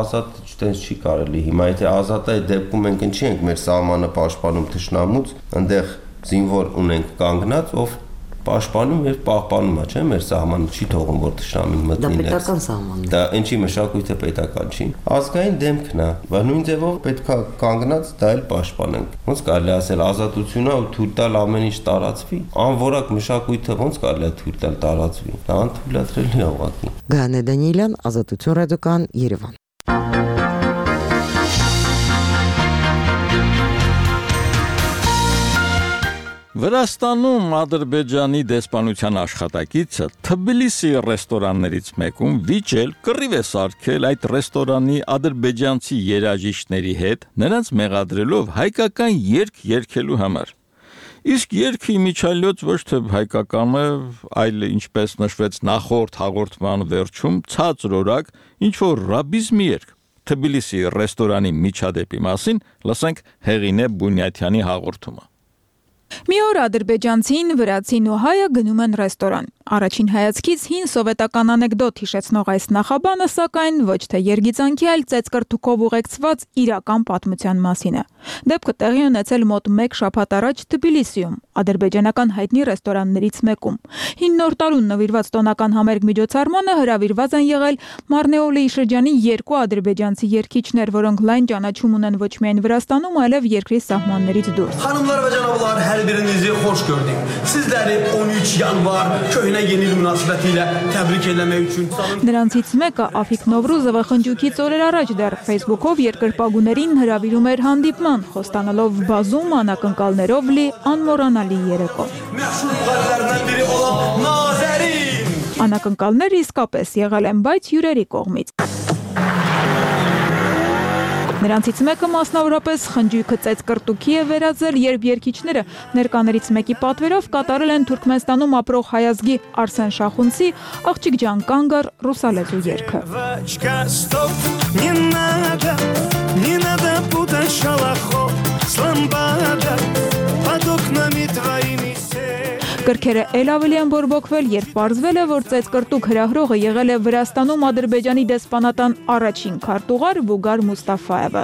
չտենց չի կարելի։ Հիմա եթե ազատ է, դեպքում մենք ինչի ենք մեր սահմանը պաշտպանում թշնամուց, այնտեղ զինվոր ունենք կանգնած, ով պաշտպանում եւ պահպանում է, չէ՞, մեր սահմանը չի թողում, որ թշնամին մտնի ներս։ Դա պետական սահմանն է։ Դա ինչի մշակույթը պետական չի։ Ազգային դեմքն է, բայց նույն ձևով պետքա կանգնած դա էլ պաշտպանենք։ Ոնց կարելի ասել ազատությունն ու թույլ տալ ամեն ինչ տարածվի։ Անորակ մշակույթը ոնց կարելի է թույլ տալ տարածվի։ Դա անթույլատրելի է ուղղակի։ Գայանե Դանիելյան, Ազատություն ռադիոկան, Երևան։ Վրաստանում Ադրբեջանի դեսպանության աշխատակիցը Թբիլիսի ռեստորաններից մեկում վիճել կռիվ է սարքել այդ ռեստորանի ադրբեջանցի երաժիշտների հետ, նրանց մեղադրելով հայկական երգ երգելու համար։ Իսկ երգի միջալյոց ոչ թե հայկական է, այլ ինչպես նշվեց նախորդ հաղորդման վերջում, ցածրորակ ինչ որ ռաբիզմի երգ։ Թբիլիսի ռեստորանի միջադեպի մասին լսենք Հեղինե Բունյաթյանի հաղորդումը։ Մի օր ադրբեջանցին, վրացին ու հայը գնում են ռեստորան։ Առաջին հայացքից հին սովետական անեկդոտ հիշեցնող այս նախաբանը, սակայն ոչ թե երգիծանքի, այլ ծեծկրտուքով ուղեկցված իրական պատմության մասին է։ Դեպքը տեղի ունեցել մոտ 1 շաբաթ առաջ Թբիլիսիում, ադրբեջանական հայտնի ռեստորաններից մեկում։ Հին նոր տարուն նվիրված տոնական համերգ միջոցառմանը հրավիրված են եղել Մարնեոլիի շրջանի 2 ադրբեջանցի երգիչներ, որոնք լայն ճանաչում ունեն ոչ միայն Վրաստանում, այլև երկրի սահմաններից դուրս։ Xanımlar və cənablar, hər birinizi xoş gördük. Sizləri 13 yanvar köhnə yeni il münasibətilə təbrik etmək üçün Նրանցից մեկը Աֆիկ Նովրուզովը խնջույքից օրեր առաջ դեռ Facebook-ով երկրպագուներին հրավիրում էր հանդիպման, խոստանալով բազում անակնկալներով լի անմոռանալի երեկո։ Məşhur müğənnilərdən biri olan Nazərin Անակնկալները իսկապես եղել են, բայց հյուրերի կողմից։ Նրանցից մեկը մասնավորապես խնջույքը ծեծկրտուքի է վերածել, երբ երգիչները ներկաներից մեկի պատվերով կատարել են Թուրքմենստանում ապրող հայազգի Արսեն Շախունցի «Աղջիկ ջան կանգ առ» ռուսալեզու երգը։ Не надо путать шалахов с ламбада под окнами твоими. Կրքերը էլ ավելի են բորբոքվել, երբ պարզվել է, որ ծեծկրտուկ հրահրողը եղել է Վրաստանում Ադրբեջանի դեսպանատան առաջին քարտուղար Վուգար Մուստաֆայևը։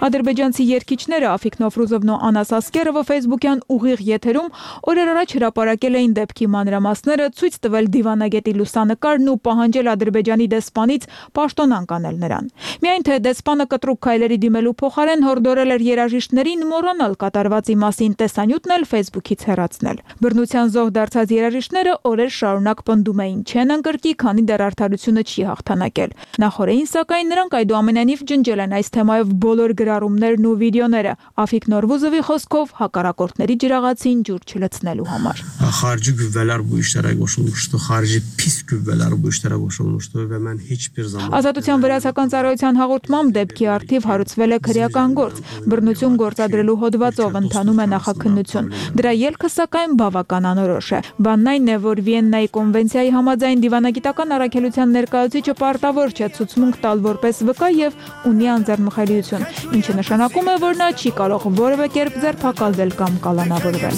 Ադրբեջանցի երգիչները Աֆիկ Նովրուզովն ու Անաս Ասկերովը Facebook-յան ուղիղ եթերում օրեր առաջ հրապարակել էին դեպքի մանրամասները, ցույց տվել դիվանագետի լուսանկարն ու պահանջել Ադրբեջանի դեսպանից պաշտոնանկ անել նրան։ Միայն թե դեսպանը կտրուկ քայլերի դիմելու փոխարեն հորդորել էր երաժիշտներին մոռանալ կատարվածի մասին տեսանյութն էլ Facebook-ից հեռացնել։ Բռնության զոհ դարձած երաժիշտները օրեր շարունակ պնդում էին չեն ընկրկի, քանի դեռ արդարությունը չի հաղթանակել։ Նախորդին սակայն նրանք այդուամենայնիվ ջնջել են այս թեմայով բոլոր գրառումներն ու վիդեոները, Աֆիկ Նորվուզովի խոսքով հակառակորդների ջրաղացին ջուր չլցնելու համար։ Խարիջի գյուվելար bu işlere koşulmuştu, խարիջի pis գյուվելար bu işlere koşulmuştu ve ben hiçbir zaman Ազատության վրացական ծառայության հաղորդմամբ դեպքի արդիվ հարուցվել է քրեական գործ, բռնություն գործադրելու հոդվածով ընթանում է նախաքննություն։ Դրա ելքը սակայն բավական անորոշ է։ Բանն այն է, որ Վիեննայի կոնվենցիայի համաձայն դիվանագիտական առաքելության ներկայացուցիչը պարտավոր չէ ցուցմունք տալ որպես վկա եւ ունի անձեռնմխելիություն, ինչը նշանակում է, որ նա չի կարող որևէ կերպ ձերբակալվել կամ կալանավորվել։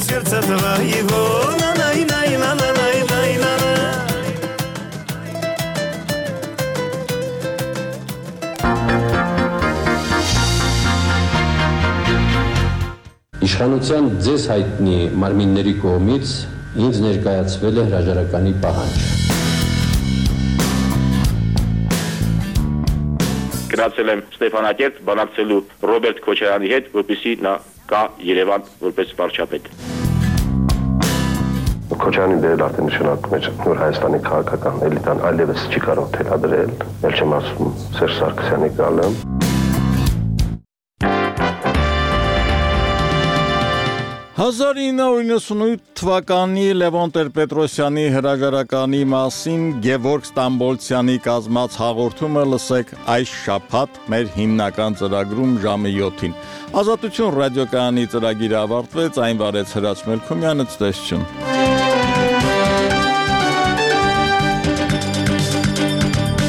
Իշխանության ձեզ հայտնի մարմինների կողմից ինձ ներկայացվել է հրաժարականի պահանջ։ Գնացել եմ Ստեփանակերտ բանակցելու Ռոբերտ Քոչարյանի հետ, որպեսզի նա գա Երևան որպես վարչապետ։ Քոչարյանի դերը արդեն նշանակում է նոր Հայաստանի քաղաքական էլիտան այլևս չի կարող թելադրել, ել չեմ ասում Սերժ Սարգսյանի գալը։ 1998 թվականի Լևոն Տեր-Պետրոսյանի հրաժարականի մասին Գևորգ Ստամբոլցյանի կազմած հաղորդումը լսեք այս շաբաթ մեր հիմնական ծրագրում ժամը 7-ին։ Ազատություն ռադիոկայանի ծրագիրը ավարտվեց, այն վարեց Հրաչ Մելքումյանը, ցտեսություն։